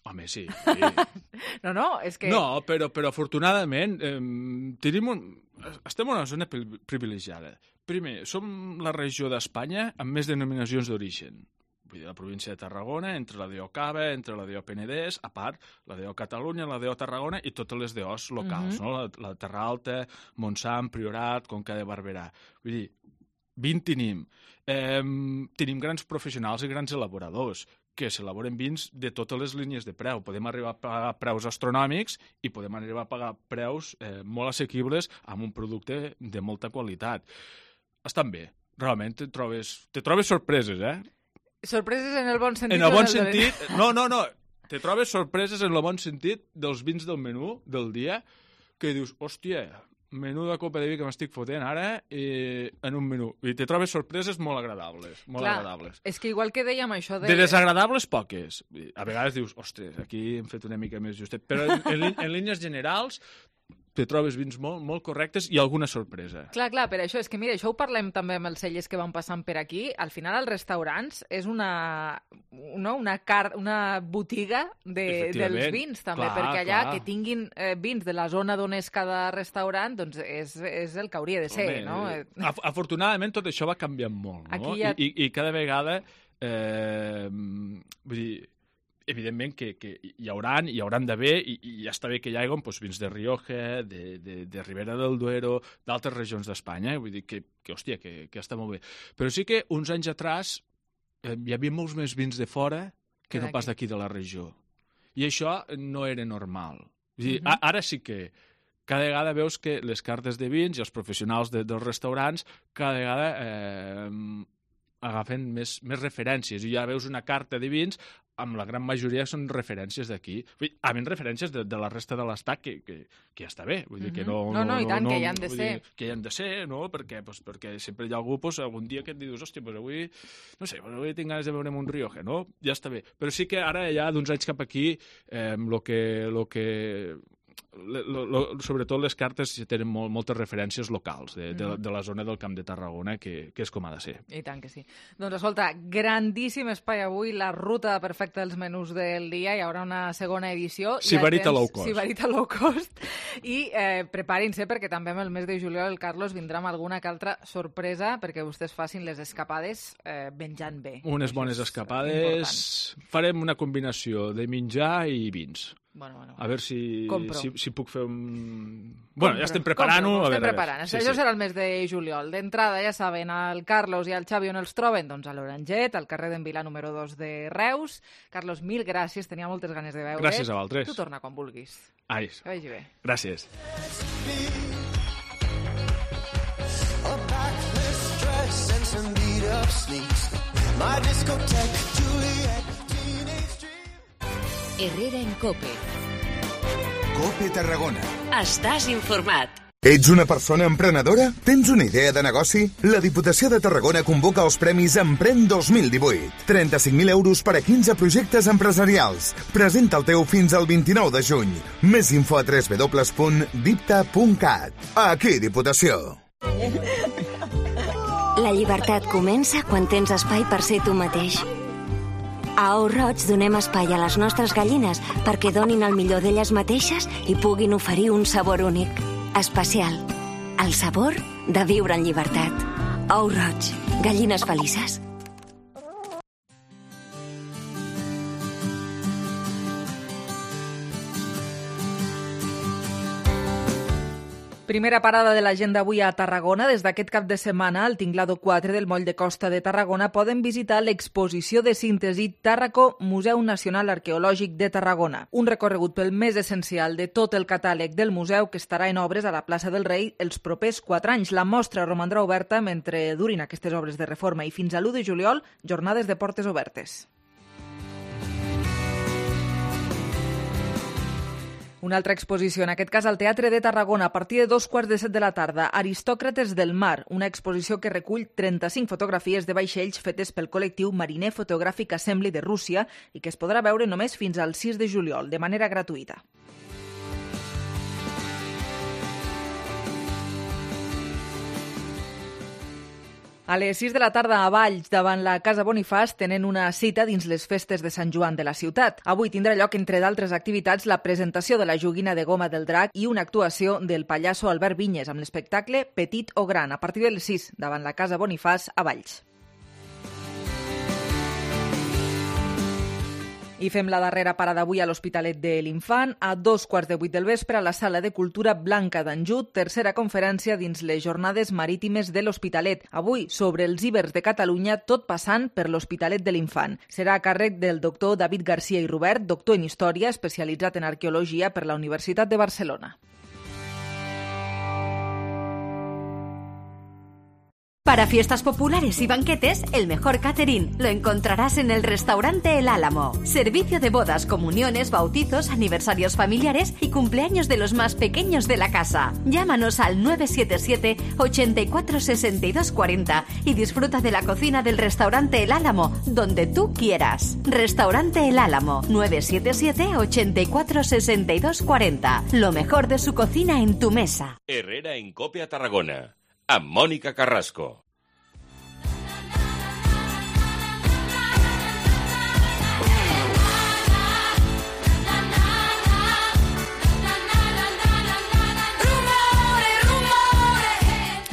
Home, sí. sí. No, no, és que... No, però, però afortunadament eh, tenim un... estem en una zona privilegiada. Primer, som la regió d'Espanya amb més denominacions d'origen. Vull dir, la província de Tarragona, entre la D O Cava, entre la D O Penedès, a part, la D O Catalunya, la D O Tarragona i totes les D Os locals, Mhm. no? La, la Terra Alta, Montsant, Priorat, Conca de Barberà. Vull dir, vint tenim. Eh, tenim grans professionals i grans elaboradors que s'elaboren vins de totes les línies de preu. Podem arribar a pagar preus astronòmics i podem arribar a pagar preus eh, molt assequibles amb un producte de molta qualitat. Estan bé. Realment te trobes, te trobes sorpreses, eh? Sorpreses en el bon sentit. En el bon o en sentit... No, no, no. Te trobes sorpreses en el bon sentit dels vins del menú del dia que dius, hòstia, menú de copa de vi que m'estic fotent ara eh, en un menú. I te trobes sorpreses molt agradables. Molt Clar, agradables. és que igual que dèiem això de... De desagradables, poques. A vegades dius, ostres, aquí hem fet una mica més justet. Però en, en, lí- en línies generals te trobes vins molt, molt correctes i alguna sorpresa. Clar, clar, per això és que, mira, això ho parlem també amb els cellers que van passant per aquí. Al final, els restaurants és una, no, una, car una botiga de, Efectivament, dels vins, també, clar, perquè allà clar. que tinguin eh, vins de la zona d'on és cada restaurant, doncs és, és el que hauria de ser, Home, no? eh, af afortunadament tot això va canviant molt, no? Aquí ja- I, i, I cada vegada, eh, vull dir, evidentment que, que hi hauran, hi hauran d'haver, i, i ja està bé que hi hagi doncs, vins de Rioja, de, de, de Ribera del Duero, d'altres regions d'Espanya, vull dir que, que hòstia, que, que està molt bé. Però sí que uns anys atràs eh, hi havia molts més vins de fora que Que no pas d'aquí. d'aquí de la regió. I això no era normal. Vull dir, Mhm. a, ara sí que cada vegada veus que les cartes de vins i els professionals de, dels restaurants cada vegada eh, agafen més, més referències. I ja veus una carta de vins amb la gran majoria són referències d'aquí. A més, referències de, de la resta de l'estat, que, que, que ja està bé. Vull dir que no, Mhm. No, no, i tant, que hi han de vull ser. dir, que hi han de ser, no? Perquè, pues, perquè sempre hi ha algú, pues, algun dia que et dius, hòstia, pues avui, no sé, pues avui tinc ganes de veure'm un Rioja, no? Ja està bé. Però sí que ara, ja d'uns anys cap aquí, eh, lo que... Lo que Lo, lo, sobretot les cartes tenen molt, moltes referències locals de, de, de la zona del Camp de Tarragona, que, que és com ha de ser. I tant que sí. Doncs escolta, grandíssim espai avui, la ruta perfecta dels menús del dia, hi haurà una segona edició. Sibarita low cost. Sibarita low cost. I eh, preparin-se perquè també amb el mes de juliol el Carlos vindrà amb alguna que altra sorpresa perquè vostès facin les escapades eh, menjant bé. Unes bones escapades. Farem una combinació de menjar i vins. Bueno, bueno, a veure si, compro. si, si puc fer un... Bueno, ja estem Compro, preparant-ho. a estem veure, a veure. preparant. Sí, Això sí. serà el mes de juliol. D'entrada, ja saben, el Carlos i el Xavi on els troben? Doncs a l'Oranget, al carrer d'en Vilà número dos de Reus. Carlos, mil gràcies, tenia moltes ganes de veure. Gràcies a vosaltres. Tu torna quan vulguis. Ai, Que vagi bé. gràcies. A backless dress and some beat up sneaks. My discotheque, Juliet, teenage dream. Herrera en Cope. Cope Tarragona. Estàs informat. Ets una persona emprenedora? Tens una idea de negoci? La Diputació de Tarragona convoca els Premis Emprèn dos mil divuit. trenta-cinc mil euros per a quinze projectes empresarials. Presenta el teu fins al vint-i-nou de juny. Més info a w w w punt dipta punt cat. Aquí, Diputació. La llibertat comença quan tens espai per ser tu mateix. A Ou Roig donem espai a les nostres gallines perquè donin el millor d'elles mateixes i puguin oferir un sabor únic. Especial. El sabor de viure en llibertat. Ou Roig. Gallines felices. Primera parada de l'agenda avui a Tarragona. Des d'aquest cap de setmana, al Tinglado quatre del Moll de Costa de Tarragona poden visitar l'exposició de síntesi Tàrraco, Museu Nacional Arqueològic de Tarragona. Un recorregut pel més essencial de tot el catàleg del museu que estarà en obres a la plaça del Rei els propers quatre anys. La mostra romandrà oberta mentre durin aquestes obres de reforma i fins a l'u de juliol, jornades de portes obertes. Una altra exposició, en aquest cas al Teatre de Tarragona, a partir de dos quarts de set de la tarda. Aristòcrates del Mar, una exposició que recull trenta-cinc fotografies de vaixells fetes pel col·lectiu Mariner Fotogràfic Assembly de Rússia i que es podrà veure només fins al sis de juliol, de manera gratuïta. A les sis de la tarda a Valls, davant la Casa Bonifàs, tenen una cita dins les festes de Sant Joan de la ciutat. Avui tindrà lloc, entre d'altres activitats, la presentació de la joguina de goma del drac i una actuació del pallasso Albert Vinyes amb l'espectacle Petit o Gran, a partir de les sis, davant la Casa Bonifàs a Valls. I fem la darrera parada avui a l'Hospitalet de l'Infant. A dos quarts de vuit del vespre a la Sala de Cultura Blanca d'Anjut, tercera conferència dins les Jornades Marítimes de l'Hospitalet. Avui, sobre els ibers de Catalunya, tot passant per l'Hospitalet de l'Infant. Serà a càrrec del doctor David García i Robert, doctor en Història, especialitzat en Arqueologia per la Universitat de Barcelona. Para fiestas populares y banquetes, el mejor catering lo encontrarás en el restaurante El Álamo. Servicio de bodas, comuniones, bautizos, aniversarios familiares y cumpleaños de los más pequeños de la casa. Llámanos al nueve siete siete, ochenta y cuatro, sesenta y dos cuarenta y disfruta de la cocina del restaurante El Álamo, donde tú quieras. Restaurante El Álamo, nueve siete siete, ochenta y cuatro, sesenta y dos cuarenta. Lo mejor de su cocina en tu mesa. Herrera en Cope a Tarragona. Amb Mònica Carrasco.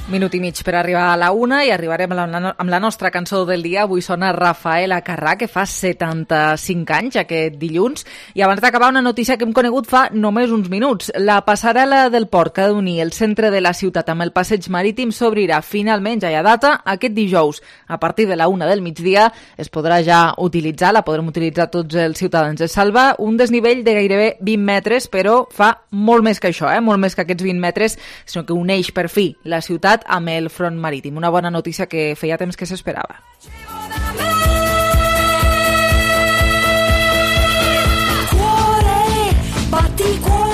Minut i mig per arribar a la una i arribarem amb la, amb la nostra cançó del dia. Avui sona Rafael Acarrà, que fa setanta-cinc anys aquest dilluns. I abans d'acabar, una notícia que hem conegut fa només uns minuts. La passarel·la del port que ha d'unir el centre de la ciutat amb el passeig marítim s'obrirà finalment, ja hi ha data, aquest dijous. A partir de la una del migdia es podrà ja utilitzar, la podrem utilitzar tots els ciutadans. Es salva un desnivell de gairebé vint metres, però fa molt més que això, eh? molt més que aquests vint metres, sinó que uneix per fi la ciutat amb el front marítim. Una bona notícia que feia temps que s'esperava. Cuore, batti cuore.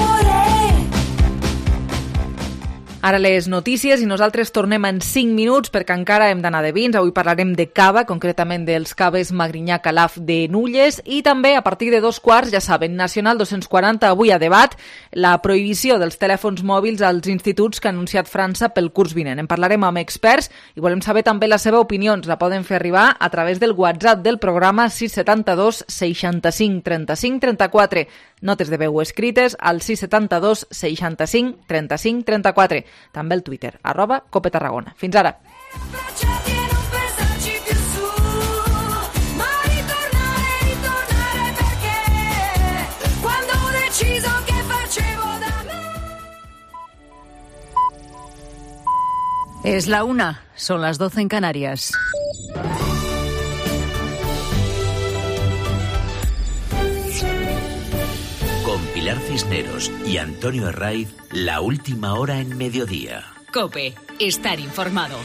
Ara les notícies i nosaltres tornem en cinc minuts perquè encara hem d'anar de vins. Avui parlarem de cava, concretament dels caves Magrinyà Calaf de Nulles i també a partir de dos quarts, ja saben, Nacional dos-cents quaranta, avui a debat la prohibició dels telèfons mòbils als instituts que ha anunciat França pel curs vinent. En parlarem amb experts i volem saber també la seva opinió. Ens la poden fer arribar a través del WhatsApp del programa sis set dos, seixanta-cinc, trenta-cinc, trenta-quatre. Notes de veu escrites al sis set dos, seixanta-cinc, trenta-cinc, trenta-quatre. També el Twitter, arroba Cope Tarragona. Fins ara. Es la una, son las doce en Canarias. Con Pilar Cisneros y Antonio Herraiz, la última hora en mediodía. COPE, estar informado.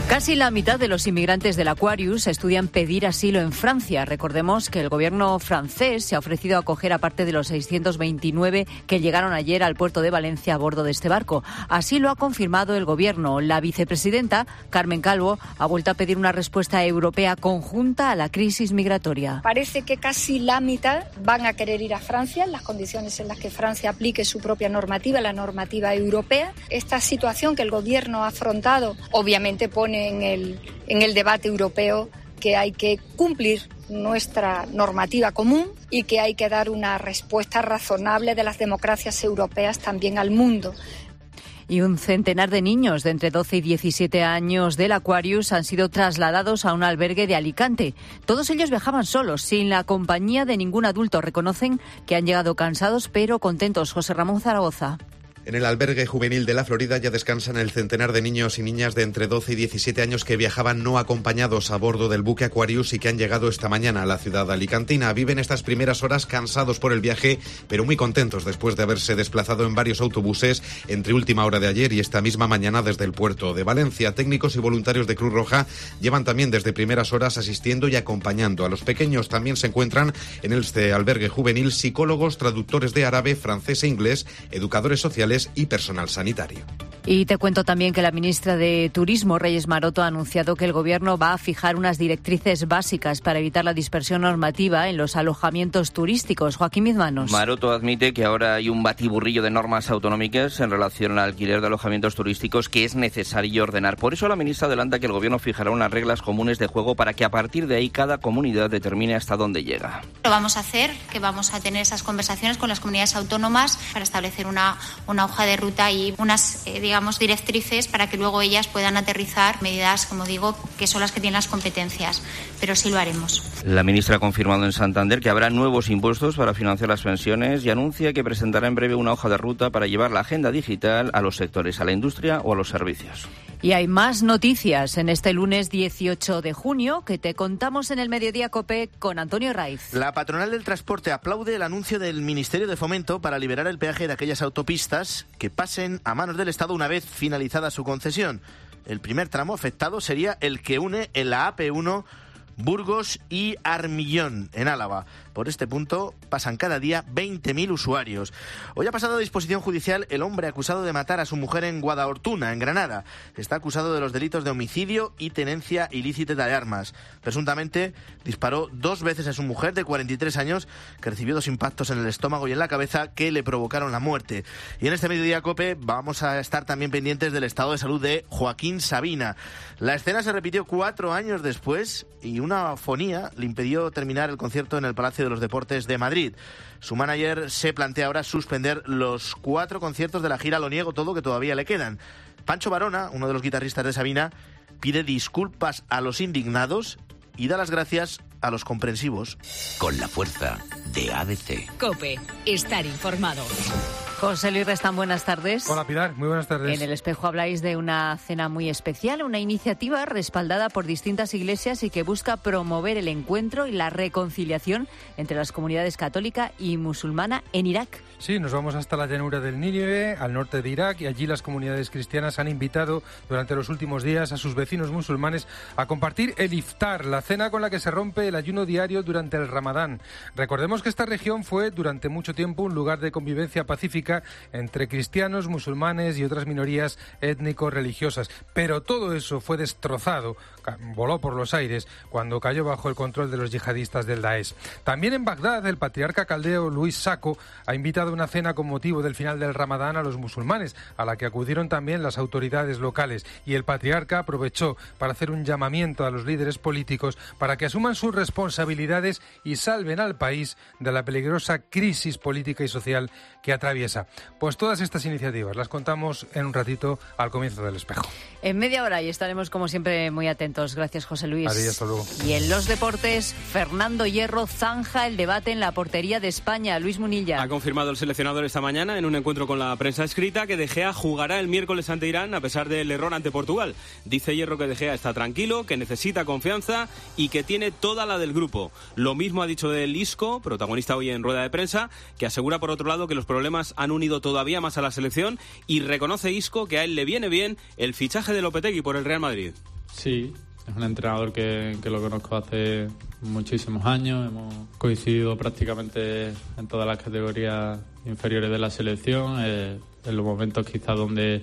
Casi la mitad de los inmigrantes del Aquarius estudian pedir asilo en Francia. Recordemos que el gobierno francés se ha ofrecido a acoger a parte de los seiscientos veintinueve que llegaron ayer al puerto de Valencia a bordo de este barco. Así lo ha confirmado el gobierno. La vicepresidenta, Carmen Calvo, ha vuelto a pedir una respuesta europea conjunta a la crisis migratoria. Parece que casi la mitad van a querer ir a Francia en las condiciones en las que Francia aplique su propia normativa, la normativa europea. Esta situación que el gobierno ha afrontado obviamente pone en el, en el debate europeo que hay que cumplir nuestra normativa común y que hay que dar una respuesta razonable de las democracias europeas también al mundo. Y un centenar de niños de entre doce y diecisiete años del Aquarius han sido trasladados a un albergue de Alicante. Todos ellos viajaban solos, sin la compañía de ningún adulto. Reconocen que han llegado cansados pero contentos. José Ramón Zaragoza. En el albergue juvenil de la Florida ya descansan el centenar de niños y niñas de entre doce y diecisiete años que viajaban no acompañados a bordo del buque Aquarius y que han llegado esta mañana a la ciudad alicantina. Viven estas primeras horas cansados por el viaje, pero muy contentos después de haberse desplazado en varios autobuses entre última hora de ayer y esta misma mañana desde el puerto de Valencia. Técnicos y voluntarios de Cruz Roja llevan también desde primeras horas asistiendo y acompañando a los pequeños. También se encuentran en este albergue juvenil psicólogos, traductores de árabe, francés e inglés, educadores sociales y personal sanitario. Y te cuento también que la ministra de Turismo, Reyes Maroto, ha anunciado que el Gobierno va a fijar unas directrices básicas para evitar la dispersión normativa en los alojamientos turísticos. Joaquín Mizmanos. Maroto admite que ahora hay un batiburrillo de normas autonómicas en relación al alquiler de alojamientos turísticos que es necesario ordenar. Por eso la ministra adelanta que el Gobierno fijará unas reglas comunes de juego para que a partir de ahí cada comunidad determine hasta dónde llega. Lo vamos a hacer, que vamos a tener esas conversaciones con las comunidades autónomas para establecer una, una hoja de ruta y unas, eh, digamos, directrices para que luego ellas puedan aterrizar medidas, como digo, que son las que tienen las competencias. Pero sí lo haremos. La ministra ha confirmado en Santander que habrá nuevos impuestos para financiar las pensiones y anuncia que presentará en breve una hoja de ruta para llevar la agenda digital a los sectores, a la industria o a los servicios. Y hay más noticias en este lunes dieciocho de junio que te contamos en el Mediodía COPE con Antonio Raiz. La patronal del transporte aplaude el anuncio del Ministerio de Fomento para liberar el peaje de aquellas autopistas que pasen a manos del Estado una vez finalizada su concesión. El primer tramo afectado sería el que une en la A P uno Burgos y Armillón, en Álava. Por este punto pasan cada día veinte mil usuarios. Hoy ha pasado a disposición judicial el hombre acusado de matar a su mujer en Guadalhortuna, en Granada. Está acusado de los delitos de homicidio y tenencia ilícita de armas. Presuntamente disparó dos veces a su mujer de cuarenta y tres años, que recibió dos impactos en el estómago y en la cabeza que le provocaron la muerte. Y en este Mediodía COPE vamos a estar también pendientes del estado de salud de Joaquín Sabina. La escena se repitió cuatro años después y una afonía le impidió terminar el concierto en el Palacio de los Deportes de Madrid. Su manager se plantea ahora suspender los cuatro conciertos de la gira Lo Niego Todo que todavía le quedan. Pancho Varona, uno de los guitarristas de Sabina, pide disculpas a los indignados y da las gracias a los comprensivos. Con la fuerza de A B C. COPE. Estar informado. José Luis Restán, buenas tardes. Hola Pilar, muy buenas tardes. En El Espejo habláis de una cena muy especial, una iniciativa respaldada por distintas iglesias y que busca promover el encuentro y la reconciliación entre las comunidades católica y musulmana en Irak. Sí, nos vamos hasta la llanura del Nínive, al norte de Irak, y allí las comunidades cristianas han invitado durante los últimos días a sus vecinos musulmanes a compartir el iftar, la cena con la que se rompe el ayuno diario durante el Ramadán. Recordemos que esta región fue durante mucho tiempo un lugar de convivencia pacífica entre cristianos, musulmanes y otras minorías étnico-religiosas, pero todo eso fue destrozado, voló por los aires cuando cayó bajo el control de los yihadistas del Daesh. También en Bagdad, el patriarca caldeo Luis Sacco ha invitado una cena con motivo del final del Ramadán a los musulmanes, a la que acudieron también las autoridades locales, y el patriarca aprovechó para hacer un llamamiento a los líderes políticos para que asuman sus responsabilidades y salven al país de la peligrosa crisis política y social que atraviesa. Pues todas estas iniciativas las contamos en un ratito al comienzo del Espejo. En media hora y estaremos como siempre muy atentos. Gracias, José Luis. Adiós, hasta luego. Y en los deportes, Fernando Hierro zanja el debate en la portería de España. Luis Munilla. Ha confirmado el seleccionador esta mañana en un encuentro con la prensa escrita que De Gea jugará el miércoles ante Irán a pesar del error ante Portugal. Dice Hierro que De Gea está tranquilo, que necesita confianza y que tiene toda la del grupo. Lo mismo ha dicho del Isco, protagonista hoy en rueda de prensa, que asegura por otro lado que los problemas han unido todavía más a la selección y reconoce Isco que a él le viene bien el fichaje de Lopetegui por el Real Madrid. Sí, es un entrenador que, que lo conozco hace muchísimos años. Hemos coincidido prácticamente en todas las categorías inferiores de la selección. Eh, en los momentos quizás donde,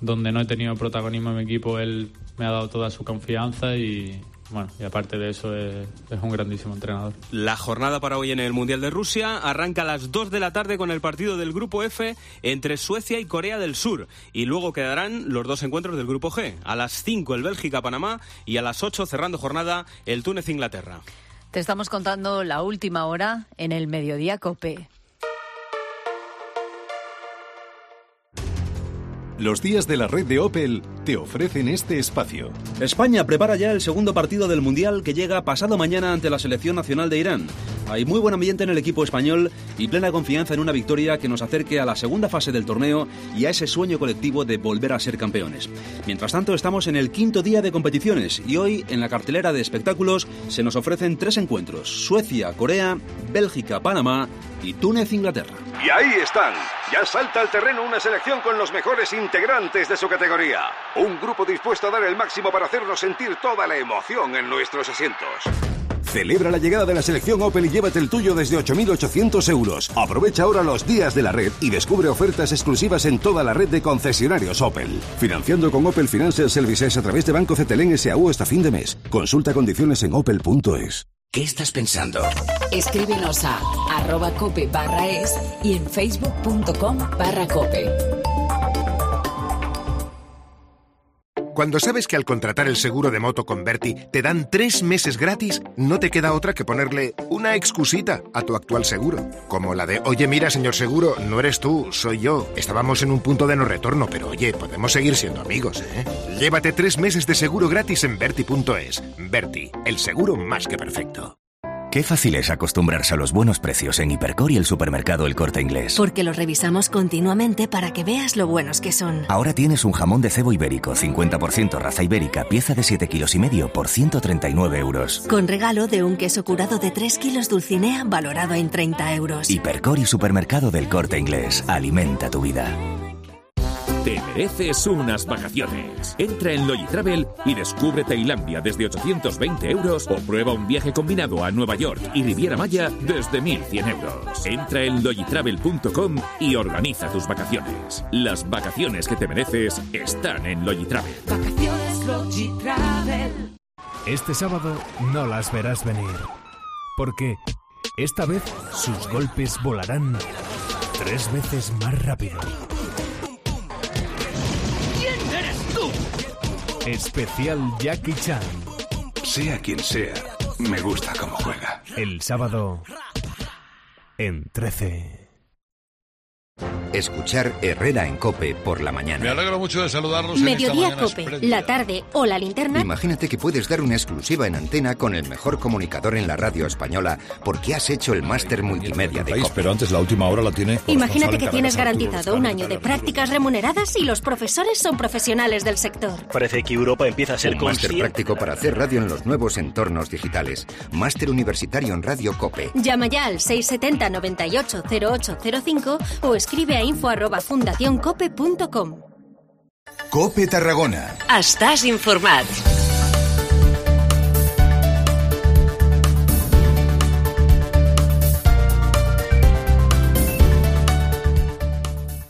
donde no he tenido protagonismo en mi equipo, él me ha dado toda su confianza y... Bueno, y aparte de eso es, es un grandísimo entrenador. La jornada para hoy en el Mundial de Rusia arranca a las dos de la tarde con el partido del Grupo F entre Suecia y Corea del Sur. Y luego quedarán los dos encuentros del Grupo G. A las cinco el Bélgica-Panamá y a las ocho, cerrando jornada, el Túnez-Inglaterra. Te estamos contando la última hora en el Mediodía COPE. Los días de la red de Opel te ofrecen este espacio. España prepara ya el segundo partido del Mundial que llega pasado mañana ante la selección nacional de Irán. Hay muy buen ambiente en el equipo español y plena confianza en una victoria que nos acerque a la segunda fase del torneo y a ese sueño colectivo de volver a ser campeones. Mientras tanto, estamos en el quinto día de competiciones y hoy en la cartelera de espectáculos se nos ofrecen tres encuentros: Suecia, Corea, Bélgica, Panamá y Túnez, Inglaterra. Y ahí están. Ya salta al terreno una selección con los mejores integrantes de su categoría. Un grupo dispuesto a dar el máximo para hacernos sentir toda la emoción en nuestros asientos. Celebra la llegada de la selección Opel y llévate el tuyo desde ocho mil ochocientos euros. Aprovecha ahora los días de la red y descubre ofertas exclusivas en toda la red de concesionarios Opel. Financiando con Opel Financial Services a través de Banco Cetelén S A U hasta fin de mes. Consulta condiciones en opel punto es. ¿Qué estás pensando? Escríbenos a arroba cope barra es y en facebook.com barra cope. Cuando sabes que al contratar el seguro de moto con Berti te dan tres meses gratis, no te queda otra que ponerle una excusita a tu actual seguro. Como la de, oye, mira, señor seguro, no eres tú, soy yo. Estábamos en un punto de no retorno, pero oye, podemos seguir siendo amigos, ¿eh? Llévate tres meses de seguro gratis en Berti punto es. Berti, el seguro más que perfecto. Qué fácil es acostumbrarse a los buenos precios en Hipercor y el supermercado El Corte Inglés. Porque los revisamos continuamente para que veas lo buenos que son. Ahora tienes un jamón de cebo ibérico, cincuenta por ciento raza ibérica, pieza de siete kilos y medio por ciento treinta y nueve euros. Con regalo de un queso curado de tres kilos Dulcinea valorado en treinta euros. Hipercor y supermercado del Corte Inglés. Alimenta tu vida. Te mereces unas vacaciones. Entra en Logitravel y descubre Tailandia desde ochocientos veinte euros o prueba un viaje combinado a Nueva York y Riviera Maya desde mil cien euros. Entra en logitravel punto com y organiza tus vacaciones. Las vacaciones que te mereces están en Logitravel. Vacaciones Logitravel. Este sábado no las verás venir, porque esta vez sus golpes volarán tres veces más rápido. Especial Jackie Chan. Sea quien sea, me gusta cómo juega. El sábado en trece. Escuchar Herrera en COPE por la mañana. Me alegro mucho de saludarlos. Mediodía en esta COPE, espléndida. la tarde o la linterna. Imagínate que puedes dar una exclusiva en antena con el mejor comunicador en la radio española porque has hecho el máster multimedia de COPE. Pero antes la última hora la tiene. Imagínate que tienes garantizado un año de prácticas remuneradas y los profesores son profesionales del sector. Parece que Europa empieza a ser un máster práctico para hacer radio en los nuevos entornos digitales. Máster universitario en Radio COPE. Llama ya al seis setenta noventa y ocho cero ocho cero cinco o escribe a info arroba fundación cope punto com. COPE Tarragona. Estàs informat.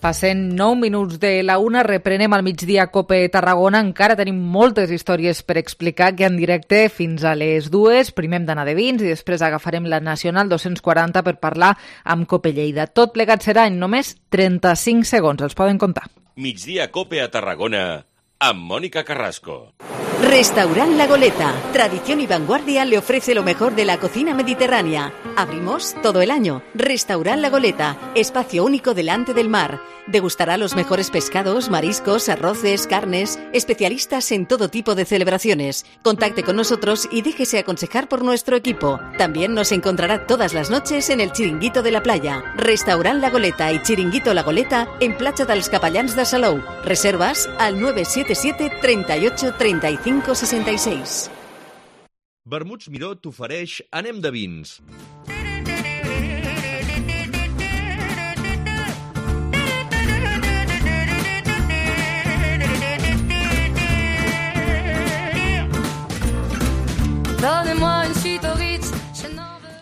Passen nou minuts de la una, reprenem al migdia COPE Tarragona. Encara tenim moltes històries per explicar, que en directe fins a les dues. Primer hem d'anar de vins i després agafarem la Nacional dos-cents quaranta per parlar amb COPE Lleida. Tot plegat serà en només trenta-cinc segons. Els poden comptar. Migdia COPE a Tarragona amb Mónica Carrasco. Restaurant La Goleta. Tradición y vanguardia le ofrece lo mejor de la cocina mediterránea. Abrimos todo el año. Restaurant La Goleta. Espacio único delante del mar. Degustará los mejores pescados, mariscos, arroces, carnes. Especialistas en todo tipo de celebraciones. Contacte con nosotros y déjese aconsejar por nuestro equipo. También nos encontrará todas las noches en el Chiringuito de la Playa. Restaurant La Goleta y Chiringuito La Goleta en Platja dels Capellans de Salou. Reservas al nueve siete siete, treinta y ocho, treinta y cinco, sesenta y seis. Vermuts Miró t'ofereix Anem de vins.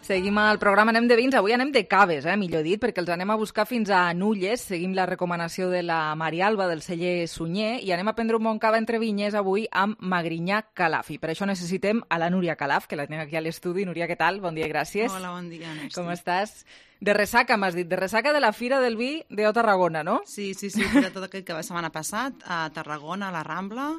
Seguim al programa, anem de vins, avui anem de caves, eh, millor dit, perquè els anem a buscar fins a Nulles, seguim la recomanació de la Marialba del celler Sunyer i anem a prendre un bon cava entre vinyes avui amb Magrinyà Calaf. I per això necessitem a la Núria Calaf, que la tenim aquí a l'estudi. Núria, què tal? Bon dia i gràcies. Hola, bon dia, Nesti. Com estàs? De ressaca, m'has dit, de ressaca de la Fira del Vi de Tarragona, no? Sí, sí, sí, de tot aquest que va setmana passat a Tarragona, a la Rambla,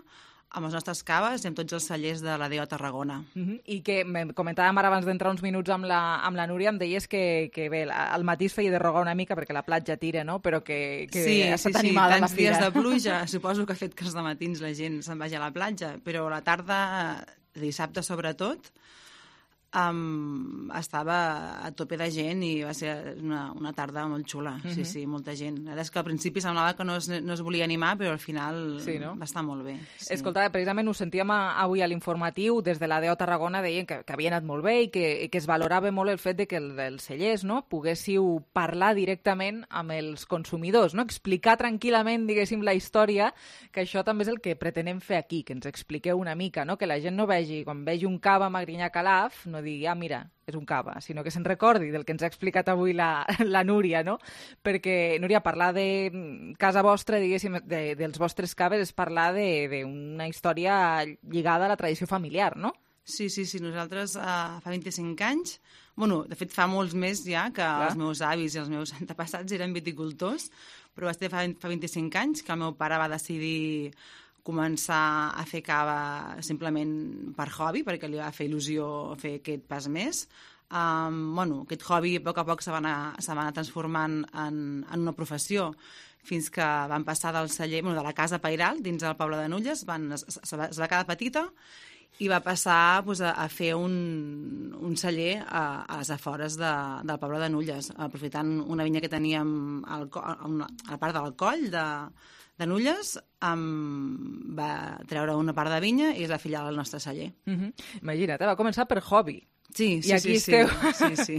amb les nostres caves i amb tots els cellers de la D O Tarragona. Uh -huh. I que comentàvem ara abans d'entrar uns minuts amb la, amb la Núria, em deies que, que bé, al matí es feia de rogar una mica perquè la platja tira, no? Però que, que sí, ha estat sí, animada sí, la Fira. tants dies de pluja, suposo que ha fet que els dematins la gent se'n vagi a la platja, però a la tarda, dissabte sobretot, Um, estava a tope de gent i va ser una, una tarda molt xula, uh-huh. sí, sí, molta gent. La veritat és que al principi semblava que no es, no es volia animar, però al final sí, no? va estar molt bé. Sí. Escolta, precisament ho sentíem avui a l'informatiu, des de la D O Tarragona deien que, que havia anat molt bé i que, i que es valorava molt el fet de que el, els cellers, no, poguéssiu parlar directament amb els consumidors, no? Explicar tranquil·lament, diguéssim, la història, que això també és el que pretenem fer aquí, que ens expliqueu una mica, no? Que la gent no vegi, quan vegi un cava Magrinyà Calaf, no digui, ah, mira, és un cava, sinó que se'n recordi del que ens ha explicat avui la, la Núria, no? Perquè, Núria, parlar de casa vostra, diguéssim, de, dels vostres caves, és parlar d'una història lligada a la tradició familiar, no? Sí, sí, sí. Nosaltres uh, fa vint-i-cinc anys, bueno, de fet fa molts més ja, que Clar. els meus avis i els meus antepassats eren viticultors, però va ser fa, fa vint-i-cinc anys que el meu pare va decidir començar a fer cava simplement per hobby, perquè li va fer il·lusió fer aquest pas més. Um, bueno, aquest hobby a poc a poc se va anar, se va anar transformant en, en una professió, fins que van passar del celler, bueno, de la casa Pairal, dins del poble de Nulles, van, es, es, va, es va quedar petita i va passar pues, a, a fer un, un celler a, a les afores de, del poble de Nulles, aprofitant una vinya que teníem al, a, una, a la part del coll de de Nulles, um, va treure una part de vinya i és la filial del nostre celler. Uh-huh. Imagina't, va començar per hobby. Sí, sí, I aquí sí, esteu. sí, sí, sí.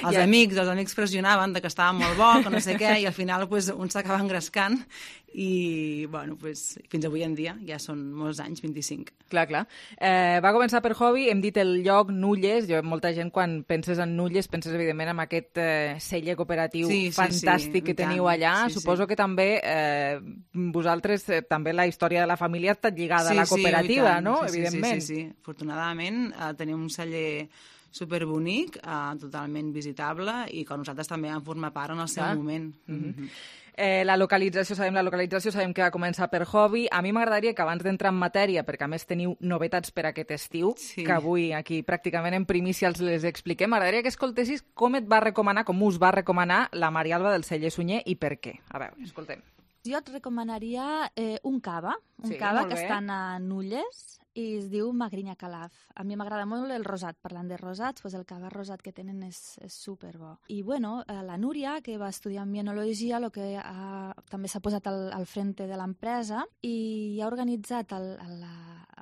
Els I amics, els amics pressionaven de que estava molt bo, que no sé què, i al final pues, un s'acaba engrescant i, bueno, pues, fins avui en dia, ja són molts anys, vint-i-cinc. Clar, clar. Eh, va començar per hobby, hem dit el lloc Nulles, jo, molta gent quan penses en Nulles penses evidentment en aquest eh, celler cooperatiu sí, sí, fantàstic sí, que teniu tant. allà. Sí, Suposo sí. que també eh, vosaltres, eh, també la història de la família ha estat lligada sí, a la cooperativa, sí, no? Sí, evidentment. Sí, sí, sí. Afortunadament eh, tenim un celler superbonic, eh, totalment visitable i que nosaltres també vam formar part en el seu ah. moment. Mm-hmm. Mm-hmm. Eh, la localització, sabem la localització, sabem que va començar per hobby. A mi m'agradaria que abans d'entrar en matèria, perquè a més teniu novetats per aquest estiu, sí. que avui aquí pràcticament en primícia els les expliquem, m'agradaria que escoltessis com et va recomanar, com us va recomanar la Marialba del celler Sunyer i per què. A veure, escoltem. Jo et recomanaria eh, un cava, un sí, cava que està a Nulles i es diu Magrinyà Calaf. A mi m'agrada molt el rosat. Parlant de rosats, doncs el cava rosat que tenen és, és superbo. I bueno, la Núria, que va estudiar en enologia, el que ha, també s'ha posat al, al frente de l'empresa i ha organitzat el, el,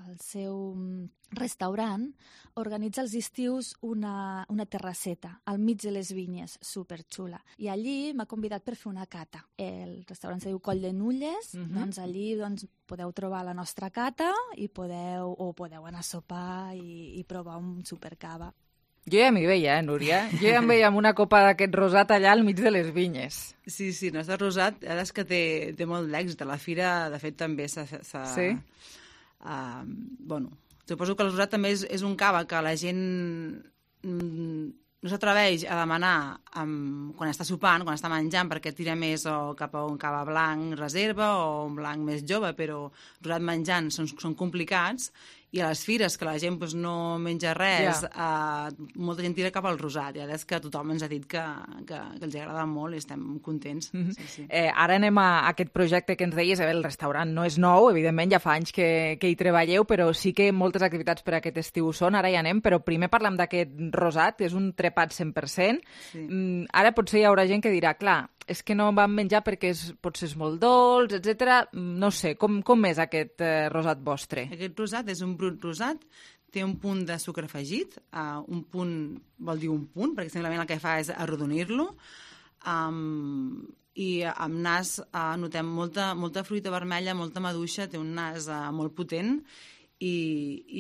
el seu restaurant, organitza els estius una, una terrasseta al mig de les vinyes, superxula. I allí m'ha convidat per fer una cata. El restaurant se diu Coll de Nulles, uh-huh. doncs allí doncs, podeu trobar la nostra cata i podeu, o podeu anar a sopar i, i provar un supercava. Jo ja m'hi veia, eh, Núria? Jo ja em veia amb una copa d'aquest rosat allà al mig de les vinyes. Sí, sí, el nostre rosat, ara és que té, té molt d'èxit. A la fira, de fet, també s'ha... Sí? Uh, bueno, suposo que el rosat també és, és un cava que la gent mm, no s'atreveix a demanar um, quan està sopant, quan està menjant, perquè tira més o cap a un cava blanc reserva o un blanc més jove, però rosat menjant són, són complicats. I a les fires, que la gent pues, no menja res, yeah. uh, molta gent tira cap al rosat. I ara és que tothom ens ha dit que, que, que els agrada molt i estem contents. Mm-hmm. sí, sí. Eh, ara anem a aquest projecte que ens deies. El restaurant no és nou, evidentment, ja fa anys que, que hi treballeu, però sí que moltes activitats per a aquest estiu són. Ara hi anem, però primer parlem d'aquest rosat, és un trepat cent per cent. Sí. Mm, ara potser hi haurà gent que dirà, clar, és que no vam menjar perquè és, potser és molt dolç, etcètera. No sé, com, com és aquest eh, rosat vostre? Aquest rosat és un brut rosat, té un punt de sucre afegit, uh, un punt vol dir un punt, perquè simplement el que fa és arrodonir-lo, um, i amb nas uh, notem molta, molta fruita vermella, molta maduixa, té un nas uh, molt potent, i,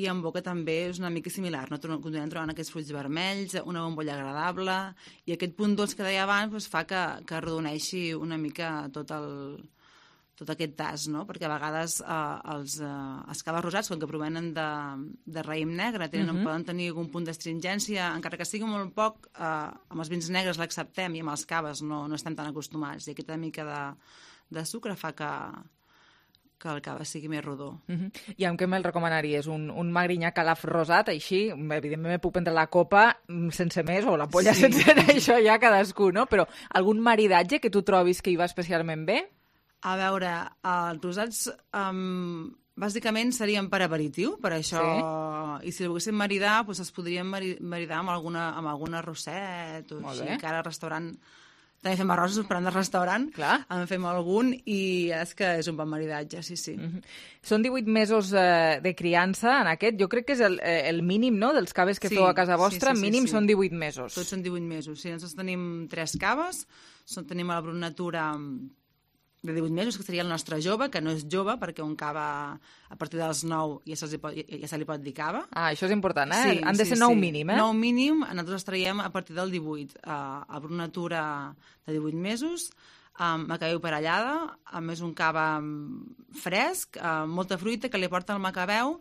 i en boca també és una mica similar, no? Continuem trobant aquests fruits vermells, una bombolla agradable, i aquest punt dolç que deia abans doncs, fa que, que arrodoneixi una mica tot el tot aquest tas, no? Perquè a vegades eh, els, eh, els caves rosats, com que provenen de, de raïm negre, tenen, uh-huh. poden tenir algun punt d'astringència, encara que sigui molt poc, eh, amb els vins negres l'acceptem i amb els caves no, no estem tan acostumats. I aquesta mica de, de sucre fa que, que el cava sigui més rodó. Uh-huh. I amb què me'l recomanaries? Un, un Magrinyà Calaf rosat, així, evidentment me puc prendre la copa sense més, o la polla sí. sense això ja cadascú, no? Però algun maridatge que tu trobis que hi va especialment bé? A veure, els rosats um, bàsicament serien per aperitiu, per això, sí. I si el volguéssim maridar, doncs es podrien maridar amb alguna, amb algun arrosset, o així, que ara al restaurant també fem arrossos, però de restaurant, clar. En fem algun, i és que és un bon maridatge, sí, sí. Mm-hmm. Són divuit mesos eh, de criança en aquest, jo crec que és el, el mínim, no?, dels caves que sí, feu a casa vostra, sí, sí, mínim sí, sí. Són divuit mesos. Tots són divuit mesos, sí, nosaltres tenim tres caves, són, tenim a la Brut Natura de divuit mesos, que seria el nostre jove, que no és jove, perquè un cava a partir dels nou ja se li pot, ja se li pot dir cava. Ah, això és important, eh? Sí, Han de sí, ser nou sí. mínim, eh? Nou mínim, nosaltres traiem a partir del divuit. Uh, a Brut Natura de divuit mesos, um, macabeu parellada, a més un cava fresc, uh, molta fruita que li porta el macabeu,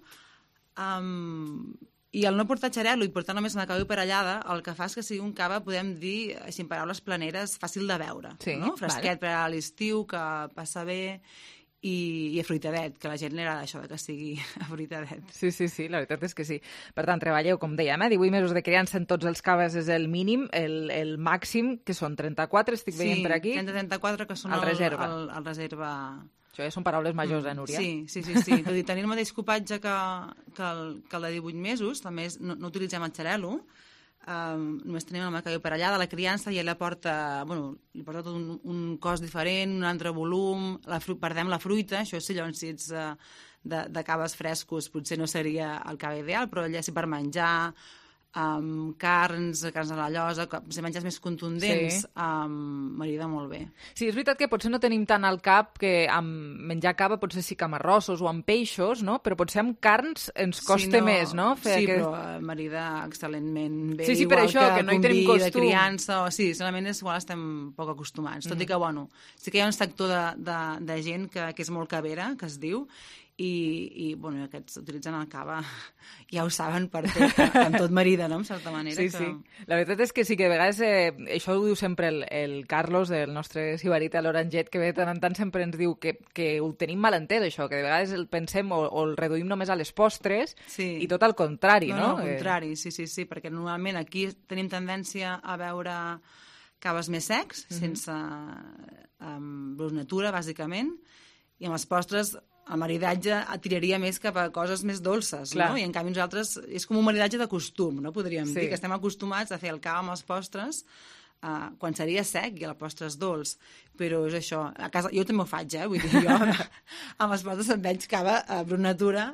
um, i el no portar xarel·lo i portar només macabeu parellada, el que fa és que sigui un cava, podem dir, així en paraules planeres, fàcil de veure. Sí, no? Fresquet vale. Per a l'estiu, que passa bé, i, i afruitadet, que a la gent li agrada això de que sigui afruitadet. Sí, sí, sí, la veritat és que sí. Per tant, treballeu, com dèiem, eh? divuit mesos de criança en tots els caves és el mínim, el, el màxim, que són trenta-quatre, estic veient sí, per aquí. Sí, trenta trenta-quatre, que són el, el reserva. El, el reserva... Això ja són paraules majors, eh, Núria? Sí, sí, sí. sí. Tot i tenir el mateix copatge que, que, el, que el de divuit mesos, també és, no, no utilitzem el xarel·lo, um, només tenim el macabeu parellada, la criança ja la porta, bueno, li porta tot un, un cos diferent, un altre volum, la fru perdem la fruita, això sí, llavors si ets uh, de, de caves frescos potser no seria el cava ideal, però ja sí per menjar, Um, carns, carns a la llosa, si menges més contundents, sí. um, m'agrada molt bé. Sí, és veritat que potser no tenim tant al cap que amb menjar cava potser sí que amb arrossos o amb peixos, no? Però potser amb carns ens costa sí, no... més, no? Fer sí, aquest... però m'agrada excel·lentment bé. Sí, sí, per això, que, que no hi tenim costum. De criança, o, sí, solament és, igual estem poc acostumats. Mm. Tot i que, bueno, sí que hi ha un sector de, de, de gent que, que és molt cavera, que es diu, i, i bueno, aquests utilitzen el cava, ja ho saben per tot, amb tot marida, no?, en certa manera. Sí, que... sí. La veritat és que sí que a vegades, eh, això ho diu sempre el, el Carlos, el nostre sibarita, l'Oranget, que de tant en tant sempre ens diu que, que ho tenim mal entès, això, que de vegades el pensem o, o el reduïm només a les postres, sí. I tot al contrari, no? No, no, al contrari, sí, sí, sí, perquè normalment aquí tenim tendència a veure caves més secs, mm-hmm. sense um, Brut Natura, bàsicament, i amb els postres el maridatge tiraria més cap a coses més dolces, Clar. No? I en canvi nosaltres és com un maridatge de costum, no? Podríem sí. dir, que estem acostumats a fer el cava amb els postres uh, quan seria sec i el postre és dolç, però és això. A casa, jo també ho faig, eh? Vull dir, jo amb els postres em veig cava a Brut Natura,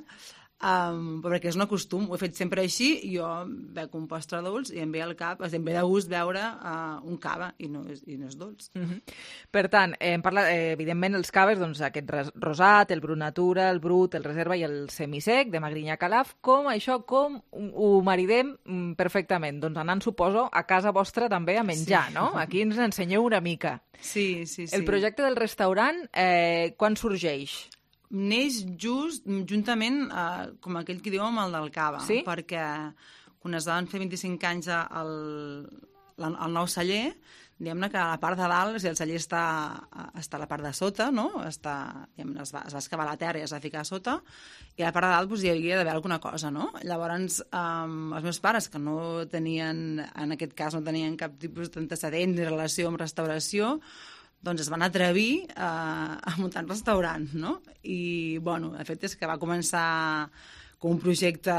Um, perquè és un costum, ho he fet sempre així, jo bec un postre dolç i em ve al cap, em ve de gust veure uh, un cava i no és, i no és dolç. Mm-hmm. Per tant, eh, em parla, eh, evidentment els caves, doncs aquest rosat, el Brut Natura, el brut, el reserva i el semisec de Magrinyà Calaf, com això, com ho maridem perfectament? Doncs anant, suposo, a casa vostra també a menjar, sí. No? Aquí ens ensenyeu una mica. Sí, sí, sí. El projecte del restaurant, eh, quan sorgeix? Neix just, juntament, eh, com aquell que diu, amb el del cava, sí? Perquè quan es van fer vint-i-cinc anys al, al nou celler, diguem-ne que a la part de dalt, o sigui, el celler està, està a la part de sota, no? Està, es, va, es va excavar la terra i es va ficar a sota, i a la part de dalt doncs, hi havia d'haver alguna cosa, no? Llavors, um, els meus pares, que no tenien, en aquest cas, no tenien cap tipus d'antecedent ni relació amb restauració, doncs es van atrevir a, a muntar un restaurant, no? I, bueno, el fet és que va començar com un projecte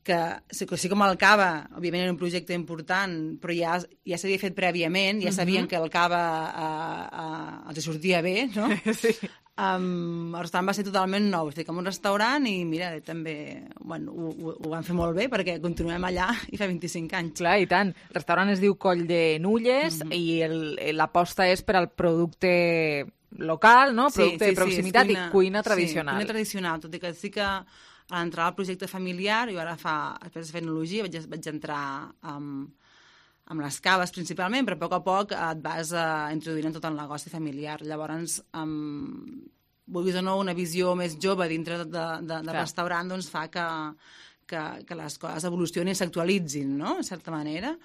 que, sí com el cava, òbviament era un projecte important, però ja, ja s'havia fet prèviament, ja sabien mm-hmm. que el cava a, a, els sortia bé, no? Sí. Um, el restaurant va ser totalment nou, estic en un restaurant i mira, també bueno, ho, ho, ho van fer molt bé perquè continuem allà i fa vint-i-cinc anys. Clar, i tant. El restaurant es diu Coll de Nulles mm-hmm. i l'aposta és per al producte local, no? Producte sí, sí, de proximitat sí, cuina, i cuina tradicional. Sí, cuina tradicional, tot i que sí que a l'entrar al projecte familiar, jo ara fa, després de fer enologia, vaig, vaig entrar amb, amb les caves principalment, però a poc a poc et vas uh, introduint en tot el negoci familiar. Llavors, um, vulguis o no, una visió més jove dintre de, de, de, de restaurant doncs fa que, que, que les coses evolucionin i s'actualitzin, no?, en certa manera.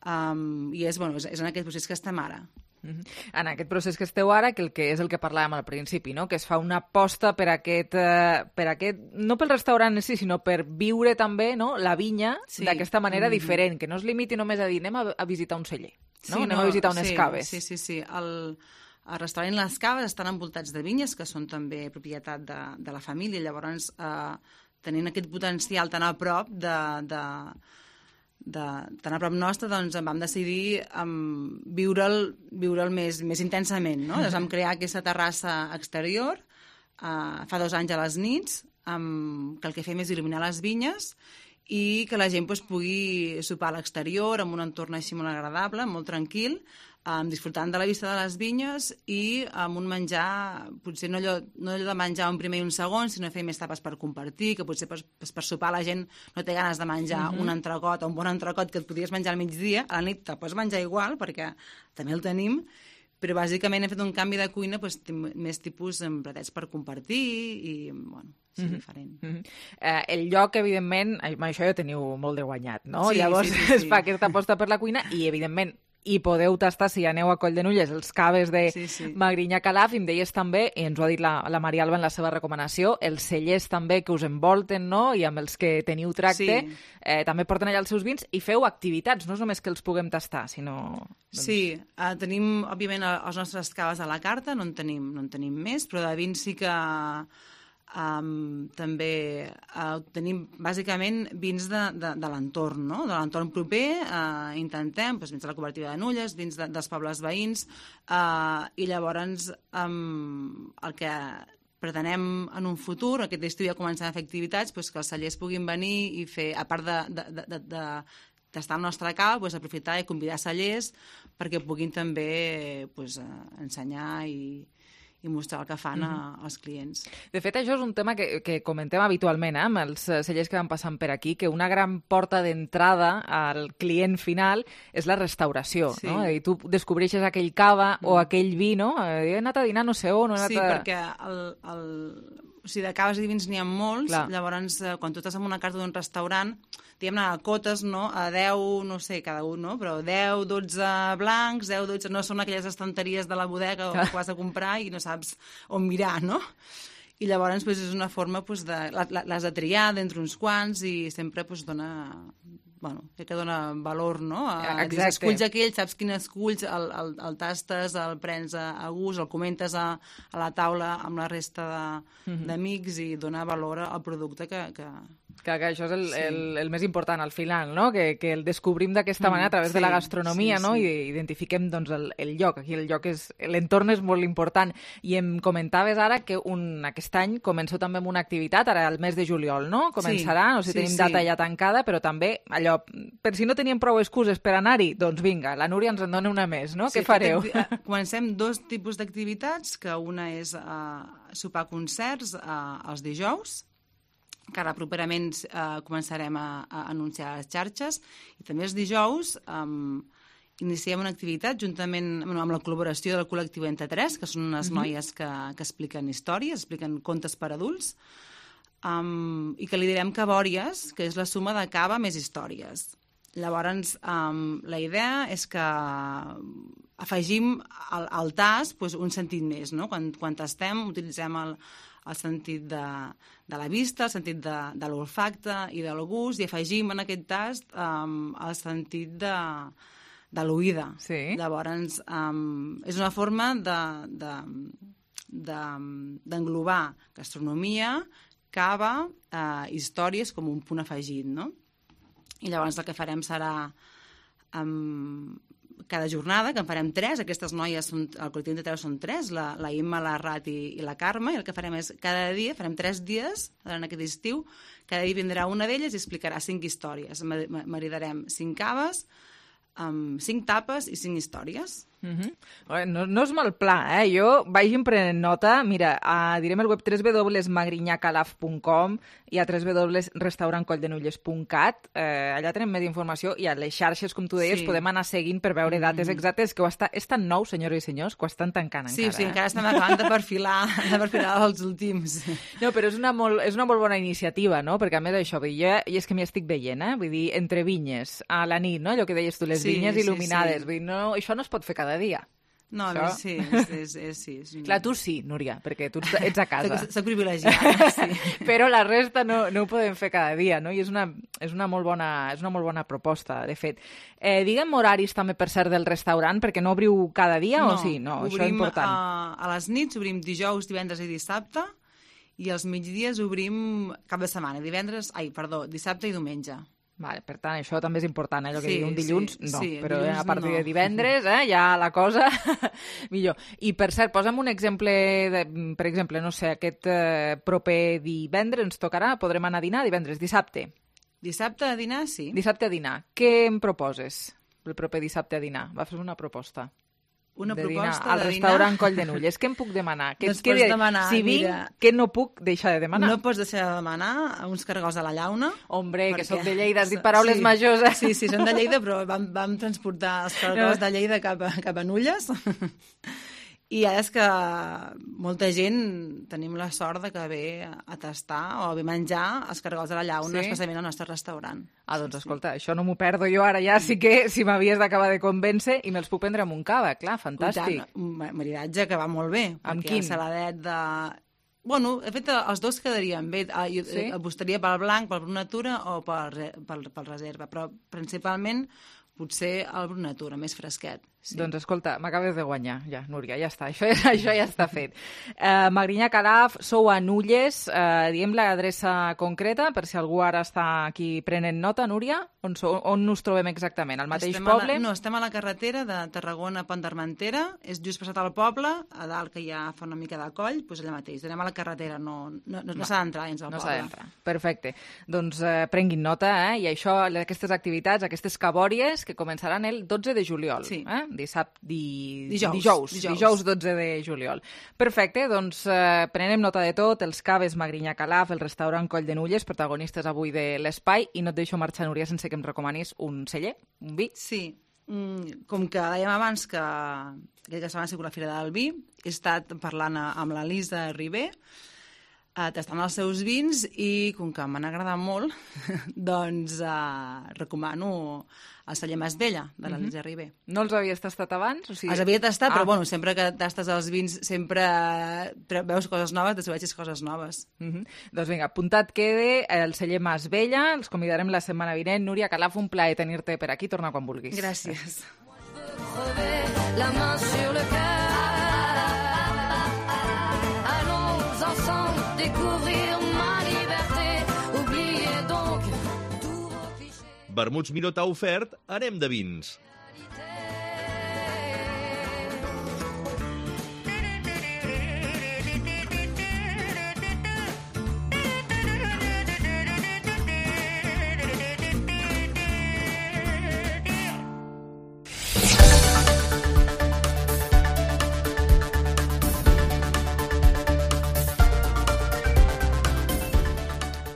Um, I és, bueno, és, és en aquest procés que estem ara. Mm-hmm. En aquest procés que esteu ara, que, el que és el que parlàvem al principi, no?, que es fa una aposta per aquest, eh, per aquest, no pel restaurant en si, sinó per viure també, no?, la vinya sí. d'aquesta manera mm-hmm. diferent, que no es limiti només a dir anem a, a visitar un celler, no? Sí, anem no, a visitar unes sí, caves. Sí, sí, sí. El, el restaurant i les caves estan envoltats de vinyes, que són també propietat de, de la família, llavors eh, tenint aquest potencial tan a prop de... de De, tan a prop nostre, doncs vam decidir um, viure'l viure'l més, més intensament, no? Llavors vam crear aquesta terrassa exterior uh, fa dos anys a les nits, um, que el que fem és il·luminar les vinyes i que la gent pues, pugui sopar a l'exterior amb un entorn així molt agradable, molt tranquil, um, disfrutant de la vista de les vinyes i amb un menjar, potser no allò, no allò de menjar un primer i un segon, sinó fer més tapes per compartir, que potser per, per sopar la gent no té ganes de menjar uh-huh. un entrecot o un bon entrecot que et podries menjar al migdia, a la nit te pots menjar igual, perquè també el tenim, però bàsicament hem fet un canvi de cuina pues, més tipus en platets per compartir i, bueno, és mm-hmm. diferent. Mm-hmm. Eh, el lloc, evidentment, amb això ja teniu molt de guanyat, no? Sí, Llavors sí, sí, sí. es fa aquesta aposta per la cuina i, evidentment, i podeu tastar, si aneu a Coll de Nulles, els caves de sí, sí. Magrinyà Calaf, i em deies també, i ens ho ha dit la, la Maria Alba en la seva recomanació, els cellers també que us envolten, no?, i amb els que teniu tracte, sí. eh, també porten allà els seus vins i feu activitats, no és només que els puguem tastar, sinó... Doncs... Sí, uh, tenim, òbviament, els nostres caves a la carta, no en tenim, no en tenim més, però de vins sí que... Um, també uh, tenim bàsicament vins de, de, de l'entorn, no? De l'entorn proper, uh, intentem doncs, vins de la cooperativa de Nulles, vins de, dels pobles veïns, uh, i llavors um, el que pretenem en un futur, aquest estiu ja començant a fer activitats, doncs, que els cellers puguin venir i fer, a part de, de, de, de, de d'estar al nostre cava, doncs, aprofitar i convidar cellers perquè puguin també doncs, ensenyar i i mostrar el que fan a, als clients. De fet, això és un tema que, que comentem habitualment eh, amb els cellers que van passant per aquí, que una gran porta d'entrada al client final és la restauració, sí. no? I tu descobreixes aquell cava mm. o aquell vi, no? He anat a dinar no sé on, he anat sí, a... perquè el, el... O sigui, de caves i vins n'hi ha molts, Clar. Llavors, quan tu estàs en una carta d'un restaurant, diguem-ne, a cotes, no?, a deu, no sé, cada un, no?, però deu, dotze blancs, deu, dotze... No són aquelles estanteries de la bodega on vas a comprar i no saps on mirar, no? I llavors, doncs, és una forma, doncs, de... Les de triar d'entre uns quants i sempre, doncs, dona... Bueno, crec que dona valor, no? Exacte. Esculls aquell, saps quin esculls, el, el, el tastes, el prens a, a gust, el comentes a, a la taula amb la resta d'amics mm-hmm. i dona valor al producte que... que... Que, que això és el, sí. el, el més important al final, no? Que, que el descobrim d'aquesta manera a través sí, de la gastronomia, sí, no? Sí. I identifiquem doncs, el, el lloc. Aquí el lloc és... L'entorn és molt important. I em comentaves ara que un, aquest any començo també amb una activitat, ara el mes de juliol, no? Començarà, sí, no sé si sí, tenim data sí. ja tancada, però també allò, per si no teníem prou excuses per anar-hi, doncs vinga, la Núria ens en dona una més, no? Sí, Què fareu? Acti... Comencem dos tipus d'activitats, que una és uh, sopar concerts uh, els dijous, que ara properament eh, començarem a, a anunciar a les xarxes, i també els dijous um, iniciem una activitat juntament bueno, amb la col·laboració del col·lectiu Entre Tres, que són unes mm-hmm. noies que, que expliquen històries, expliquen contes per adults, um, i que li direm Cabòries, que és la suma de cava més històries. Llavors, um, la idea és que afegim al, al tas pues, un sentit més, no? Quan, quan tastem utilitzem el el sentit de, de la vista, el sentit de, de l'olfacte i del gust, i afegim en aquest tast um, el sentit de, de l'oïda. Sí. Llavors, um, és una forma de, de, de, d'englobar gastronomia, cava, uh, històries com un punt afegit, no? I llavors el que farem serà... Um, cada jornada, que en farem tres, aquestes noies, són, el col·lectiu de tres són tres, la, la Imma, la Rat i, i la Carme, i el que farem és cada dia, farem tres dies en aquest estiu, cada dia vindrà una d'elles i explicarà cinc històries. Maridarem cinc caves, amb cinc tapes i cinc històries. Mm-hmm. No, no és mal pla, eh? Jo vaig prenent nota. Mira, uh, direm el web w w w punt magrinyacalaf punt com i a w w w punt restaurant colldenulles punt cat. Eh, allà tenim més informació i a les xarxes, com tu deies, sí. podem anar seguint per veure dates exactes, que ho està, és tan nou, senyores i senyors, que ho estan tancant sí, encara. Sí, sí, encara estem acabant de perfilar, de perfilar els últims. No, però és una, molt, és una molt bona iniciativa, no? Perquè a més això, jo, i és que m'hi estic veient, eh? Vull dir, entre vinyes, a la nit, no? Allò que deies tu, les sí, vinyes il·luminades. Sí, sí. Vull dir, no, això no es pot fer cada dia. No, això... sí, és, és, és, sí. És... Clar, tu sí, Núria, perquè tu ets a casa. Soc privilegiada, sí. Però la resta no, no ho podem fer cada dia, no? I és una, és una, molt, bona, és una molt bona proposta, de fet. Eh, diguem horaris també, per cert, del restaurant, perquè no obriu cada dia no, o sí? No, obrim, això és important. A, a les nits obrim dijous, divendres i dissabte, i als migdies obrim cap de setmana, divendres, ai, perdó, dissabte i diumenge. Vale, per tant, això també és important, eh? Allò que sí, diu un dilluns, sí, no, sí, però dilluns a partir no. de divendres, eh, ja la cosa millor. I, per cert, posa'm un exemple, de, per exemple, no sé, aquest eh, proper divendres ens tocarà, podrem anar a dinar divendres, dissabte. Dissabte a dinar, sí. Dissabte a dinar. Què em proposes el proper dissabte a dinar? Va fer una proposta. Una de proposta dinar al de restaurant dinar. Colldenulles. Què em puc demanar? Que, Doncs que pots demanar, si vinc, mira, què no puc deixar de demanar? No pots deixar de demanar uns cargols a la llauna. Hombre, perquè... que soc de Lleida, has dit paraules sí, majors. Eh? Sí, sí, són de Lleida, però vam, vam transportar els cargols de Lleida cap a, cap a Nulles. I ara és que molta gent tenim la sort de que ve a tastar o a ve menjar els cargols de la llauna, sí? Especialment al nostre restaurant. Ah, doncs escolta, sí. Això no m'ho perdo jo ara ja, sí que si m'havies d'acabar de convèncer i me'ls puc prendre amb un cava, clar, fantàstic. Un maridatge que va molt bé. Amb quin? El saladet de... Bueno, de fet, els dos quedarien bé. Jo sí? apostaria pel blanc, pel Brut Natura o pel, pel, pel reserva, però principalment potser el Brut Natura, més fresquet. Sí. Doncs escolta, m'acabes de guanyar, ja, Núria, ja està, això, això ja està fet. Uh, Magrinyà Calaf, sou a Nulles, uh, diem l'adreça concreta, per si algú ara està aquí prenent nota, Núria, on, sou, on us trobem exactament, al mateix estem poble? La, no, estem a la carretera de Tarragona a Pont d'Armentera, és just passat al poble, a dalt que ja fa una mica de coll, doncs allà mateix, anem a la carretera, no, no, no, no s'ha d'entrar dins del no poble. No s'ha d'entrar, perfecte. Doncs uh, prenguin nota, eh? I això, aquestes activitats, aquestes cabòries, que començaran el dotze de juliol, sí. eh? Dissabte, di... Dijous, dijous, dijous. dijous dotze de juliol. Perfecte, doncs eh, prenem nota de tot, els caves Magrinyà Calaf, el restaurant Colldenulles, protagonistes avui de l'espai, i no et deixo marxar, Núria, sense que em recomanis un celler, un vi. Sí, mm, com que dèiem abans que aquesta setmana ha sigut la Fira del Vi, he estat parlant amb l'Elisa Ribé, Uh, tastant els seus vins, i com que m'han agradat molt, doncs uh, recomano el celler Masvella, de l'Elisa uh-huh. Ribé. No els havies tastat abans? O sigui... Els havia tastat, ah. però bueno, sempre que tastes els vins sempre veus coses noves, descobreixes coses noves. Uh-huh. Doncs vinga, apuntat quede el celler Masvella, els convidarem la setmana vinent. Núria Calaf, un plaer tenir-te per aquí, torna quan vulguis. Gràcies. La main sur le cœur. Découvrir ma liberté, oubliez donc tous vos clichés. Vermuts Miró t'ha ofert Anem de vins.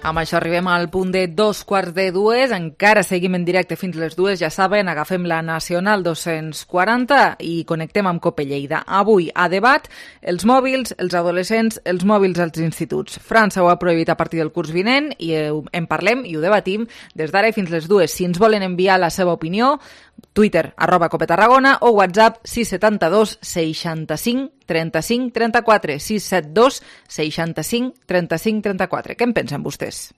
Amb això arribem al punt de dos quarts de dues, encara seguim en directe fins les dues, ja saben, agafem la Nacional dos-cents quaranta i connectem amb Cope Lleida. Avui, a debat, els mòbils, els adolescents, els mòbils als instituts. França ho ha prohibit a partir del curs vinent i en parlem i ho debatim des d'ara fins les dues. Si ens volen enviar la seva opinió, Twitter, arroba Cope Tarragona, o WhatsApp sis set dos seixanta-cinc trenta-cinc trenta-quatre, sis set dos seixanta-cinc trenta-cinc trenta-quatre. Què en pensen vostès?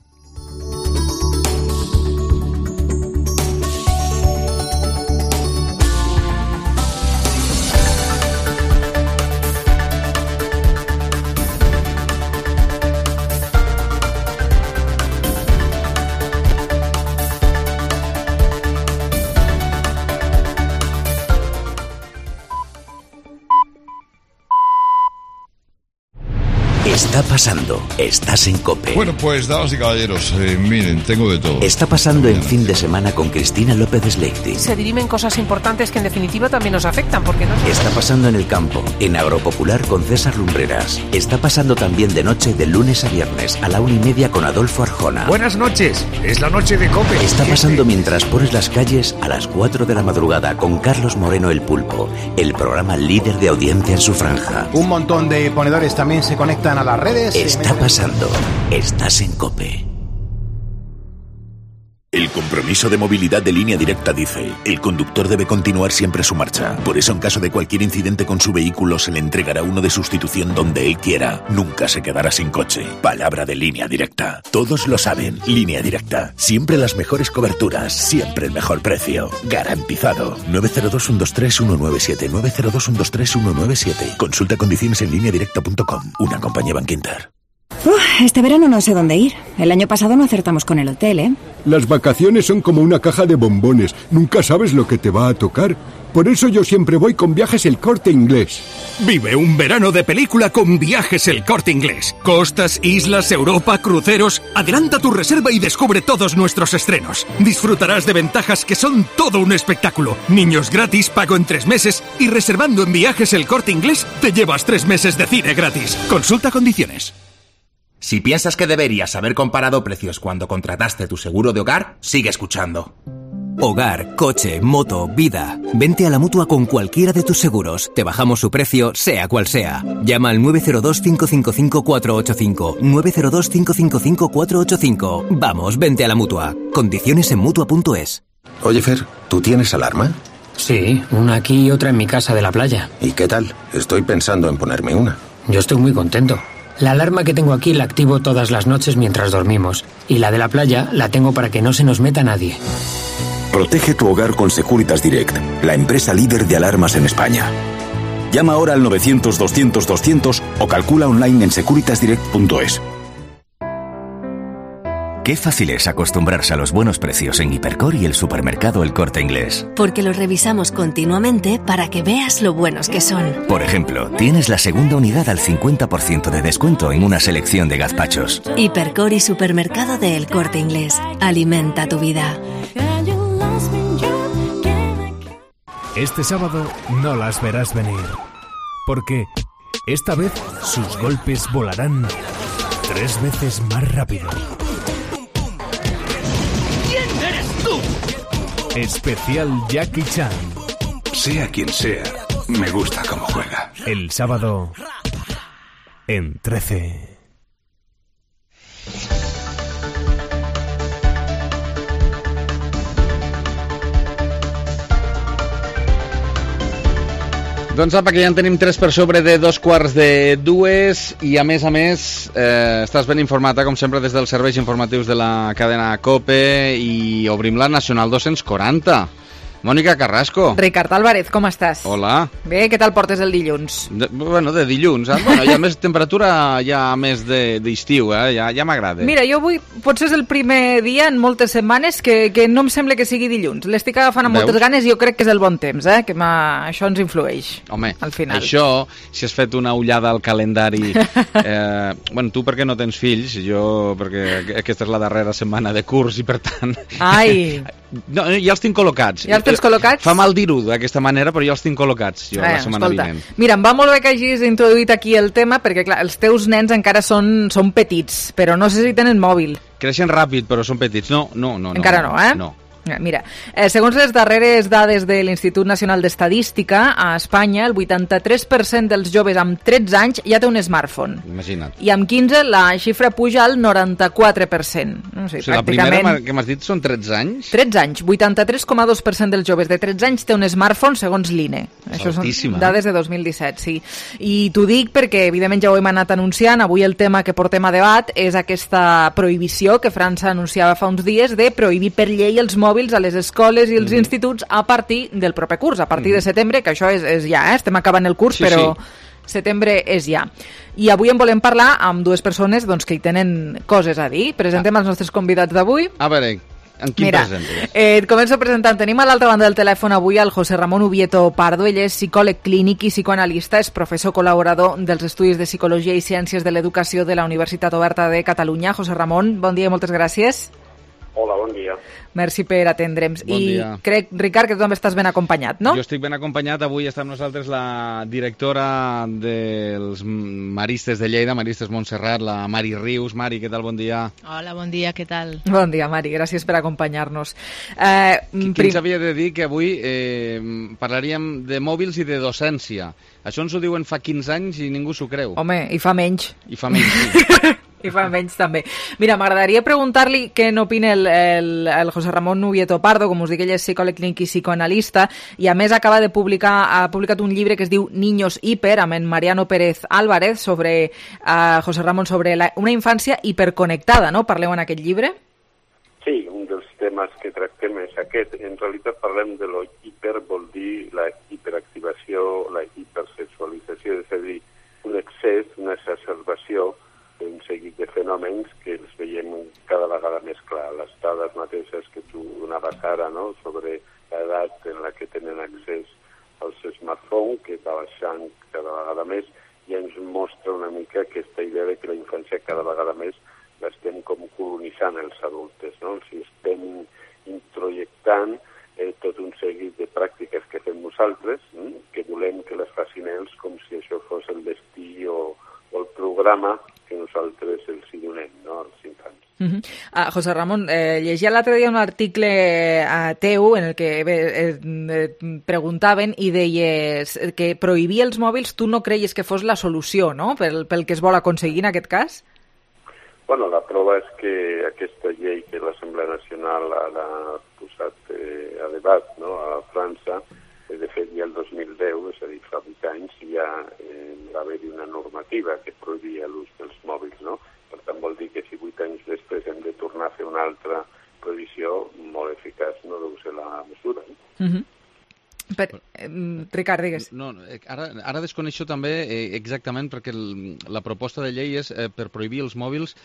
está pasando? Estás en COPE. Bueno, pues damas y caballeros, eh, miren, tengo de todo. Está pasando en Fin de Semana con Cristina López Sleipzig. Se dirimen cosas importantes que en definitiva también nos afectan, porque no... Está pasando en el campo, en Agropopular con César Lumbreras. Está pasando también de noche de lunes a viernes a la una y media con Adolfo Arjona. Buenas noches, es la noche de COPE. Está pasando mientras pones las calles a las cuatro de la madrugada con Carlos Moreno el Pulpo, el programa líder de audiencia en su franja. Un montón de ponedores también se conectan a las redes. Está pasando. Estás en COPE. El compromiso de movilidad de Línea Directa dice: el conductor debe continuar siempre su marcha. Por eso, en caso de cualquier incidente con su vehículo, se le entregará uno de sustitución donde él quiera. Nunca se quedará sin coche. Palabra de Línea Directa. Todos lo saben. Línea Directa. Siempre las mejores coberturas. Siempre el mejor precio. Garantizado. nueve cero dos, uno dos tres, uno nueve siete. nueve cero dos, uno dos tres, uno nueve siete. Consulta condiciones en línea directa punto com. Una compañía Bankinter. Uf, este verano no sé dónde ir. El año pasado no acertamos con el hotel, ¿eh? Las vacaciones son como una caja de bombones. Nunca sabes lo que te va a tocar. Por eso yo siempre voy con Viajes El Corte Inglés. Vive un verano de película con Viajes El Corte Inglés. Costas, islas, Europa, cruceros. Adelanta tu reserva y descubre todos nuestros estrenos. Disfrutarás de ventajas que son todo un espectáculo. Niños gratis, pago en tres meses y reservando en Viajes El Corte Inglés te llevas tres meses de cine gratis. Consulta condiciones. Si piensas que deberías haber comparado precios cuando contrataste tu seguro de hogar, sigue escuchando. Hogar, coche, moto, vida. Vente a la Mutua con cualquiera de tus seguros. Te bajamos su precio, sea cual sea. Llama al nueve cero dos, cinco cinco cinco, cuatro ocho cinco. nueve cero dos, cinco cinco cinco, cuatro ocho cinco. Vamos, vente a la Mutua. Condiciones en Mutua punto es. Oye, Fer, ¿tú tienes alarma? Sí, una aquí y otra en mi casa de la playa. ¿Y qué tal? Estoy pensando en ponerme una. Yo estoy muy contento. La alarma que tengo aquí la activo todas las noches mientras dormimos. Y la de la playa la tengo para que no se nos meta nadie. Protege tu hogar con Securitas Direct, la empresa líder de alarmas en España. Llama ahora al novecientos, doscientos, doscientos o calcula online en securitas direct punto es. Qué fácil es acostumbrarse a los buenos precios en Hipercor y el supermercado El Corte Inglés. Porque los revisamos continuamente para que veas lo buenos que son. Por ejemplo, tienes la segunda unidad al cincuenta por ciento de descuento en una selección de gazpachos. Hipercor y supermercado de El Corte Inglés. Alimenta tu vida. Este sábado no las verás venir. Porque esta vez sus golpes volarán tres veces más rápido. Especial Jackie Chan. Sea quien sea, me gusta cómo juega. El sábado en trece. Doncs apa, que ja en tenim tres per sobre de dos quarts de dues i a més a més eh, estàs ben informada com sempre des dels serveis informatius de la cadena COPE i obrim la Nacional dos-cents quaranta. Mònica Carrasco. Ricard Álvarez, com estàs? Hola. Bé, què tal portes el dilluns? De, bueno, de dilluns. Eh? Bueno, hi ha més temperatura, hi ha més d'estiu, de, eh? ja, ja m'agrada. Mira, jo avui potser és el primer dia en moltes setmanes que, que no em sembla que sigui dilluns. L'estic agafant amb Veus? moltes ganes i jo crec que és el bon temps, eh? que això ens influeix. Home, al final. Això, si has fet una ullada al calendari... Eh, bueno, tu perquè no tens fills, jo perquè aquesta és la darrera setmana de curs i per tant... Ai! No, ja els tinc col·locats. Ja els tens col·locats? Fa mal dir-ho d'aquesta manera, però ja els tinc col·locats jo, eh, la setmana escolta, vinent. Mira, em va molt bé que hagis introduït aquí el tema, perquè clar, els teus nens encara són, són petits, però no sé si tenen mòbil. Creixen ràpid, però són petits. No, no, no. Encara no, eh? No. Mira, eh, segons les darreres dades de l'Institut Nacional d'Estadística, a Espanya el vuitanta-tres per cent dels joves amb tretze anys ja té un smartphone. Imagina't. I amb quinze la xifra puja al noranta-quatre per cent. No sé, o sigui, pràcticament... la primera que m'has dit són tretze anys? tretze anys. vuitanta-tres coma dos per cent dels joves de tretze anys té un smartphone segons l'I N E. Això Altíssima. són dades de dos mil disset, sí. I t'ho dic perquè, evidentment, ja ho hem anat anunciant. Avui el tema que portem a debat és aquesta prohibició que França anunciava fa uns dies de prohibir per llei els mòbils a les escoles i els mm. instituts a partir del proper curs, a partir mm. de setembre, que això és, és ja, eh? Estem acabant el curs, sí, però sí. setembre és ja. I avui en volem parlar amb dues persones doncs, que hi tenen coses a dir. Presentem ah. els nostres convidats d'avui. A veure, En quin Mira, presentes? Eh, et començo presentant. Tenim a l'altra banda del telèfon avui el José Ramón Ubieto Pardo. Ell és psicòleg clínic i psicoanalista, és professor col·laborador dels Estudis de Psicologia i Ciències de l'Educació de la Universitat Oberta de Catalunya. José Ramón, bon dia i moltes gràcies. Hola, bon dia. Merci per atendre'ns. Bon I dia. crec, Ricard, que tu també estàs ben acompanyat, no? Jo estic ben acompanyat. Avui està amb nosaltres la directora dels Maristes de Lleida, Maristes Montserrat, la Mari Rius. Mari, què tal? Bon dia. Hola, bon dia, què tal? Bon dia, Mari, gràcies per acompanyar-nos. Eh, Qui prim... ens havia de dir que avui eh, parlaríem de mòbils i de docència. Això ens ho diuen fa quinze anys i ningú s'ho creu. Home, i fa menys. I fa menys, sí. I fa menys també. Mira, m'agradaria preguntar-li què n'opina el, el, el José Ramón Ubieto Pardo, com us dic, ell és psicòleg clínic i psicoanalista, i a més acaba de publicar, ha publicat un llibre que es diu Niños Hiper, amb en Mariano Pérez Álvarez, sobre, uh, José Ramón, sobre la, una infància hiperconnectada, no? Parleu en aquest llibre? Sí, un dels temes que tractem és aquest. En realitat parlem de lo hiper, vol dir la hiperactivació, la hipersexualització, és a dir, un excés, una exacerbació un seguit de fenòmens que els veiem cada vegada més clar. Les dades mateixes que tu donaves ara, no?, sobre l'edat en la que tenen accés als smartphones, que va baixant cada vegada més, i ens mostra una mica aquesta idea de que la infància cada vegada més l'estem com colonitzant els adultes, no? Els estem introjectant eh, tot un seguit de pràctiques que fem nosaltres, eh, que volem que les facin ells com si això fos el destí o, o el programa que nosaltres els hi donem, no?, als infants. Uh -huh. uh, José Ramón, eh, llegia l'altre dia un article uh, teu en el que eh, eh, preguntaven i deies que prohibir els mòbils tu no creies que fos la solució, no?, pel, pel que es vol aconseguir en aquest cas? Bueno, la prova és que aquesta llei que l'Assemblea Nacional ha posat eh, a debat, no?, a França, de fet, ja el dos mil deu, és a dir, fa vuit anys, ja eh, va haver-hi una normativa que prohibia l'ús dels mòbils, no? Per tant, vol dir que si vuit anys després hem de tornar a fer una altra prohibició, molt eficaç no deu ser la mesura. No? Uh -huh. Per, eh, Ricard, digues. No, ara, ara desconeixo també eh, exactament, perquè el, la proposta de llei és eh, per prohibir els mòbils,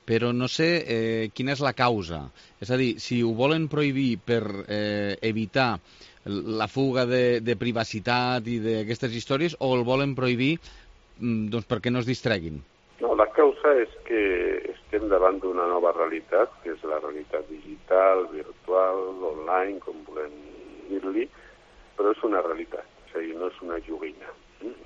però no sé eh, quina és la causa. És a dir, si ho volen prohibir per eh, evitar la fuga de, de privacitat i d'aquestes històries, o el volen prohibir doncs, perquè no es distreguin? No, la causa és que estem davant d'una nova realitat, que és la realitat digital, virtual, online, com volem dir-li, però és una realitat, és a dir, no és una joguina.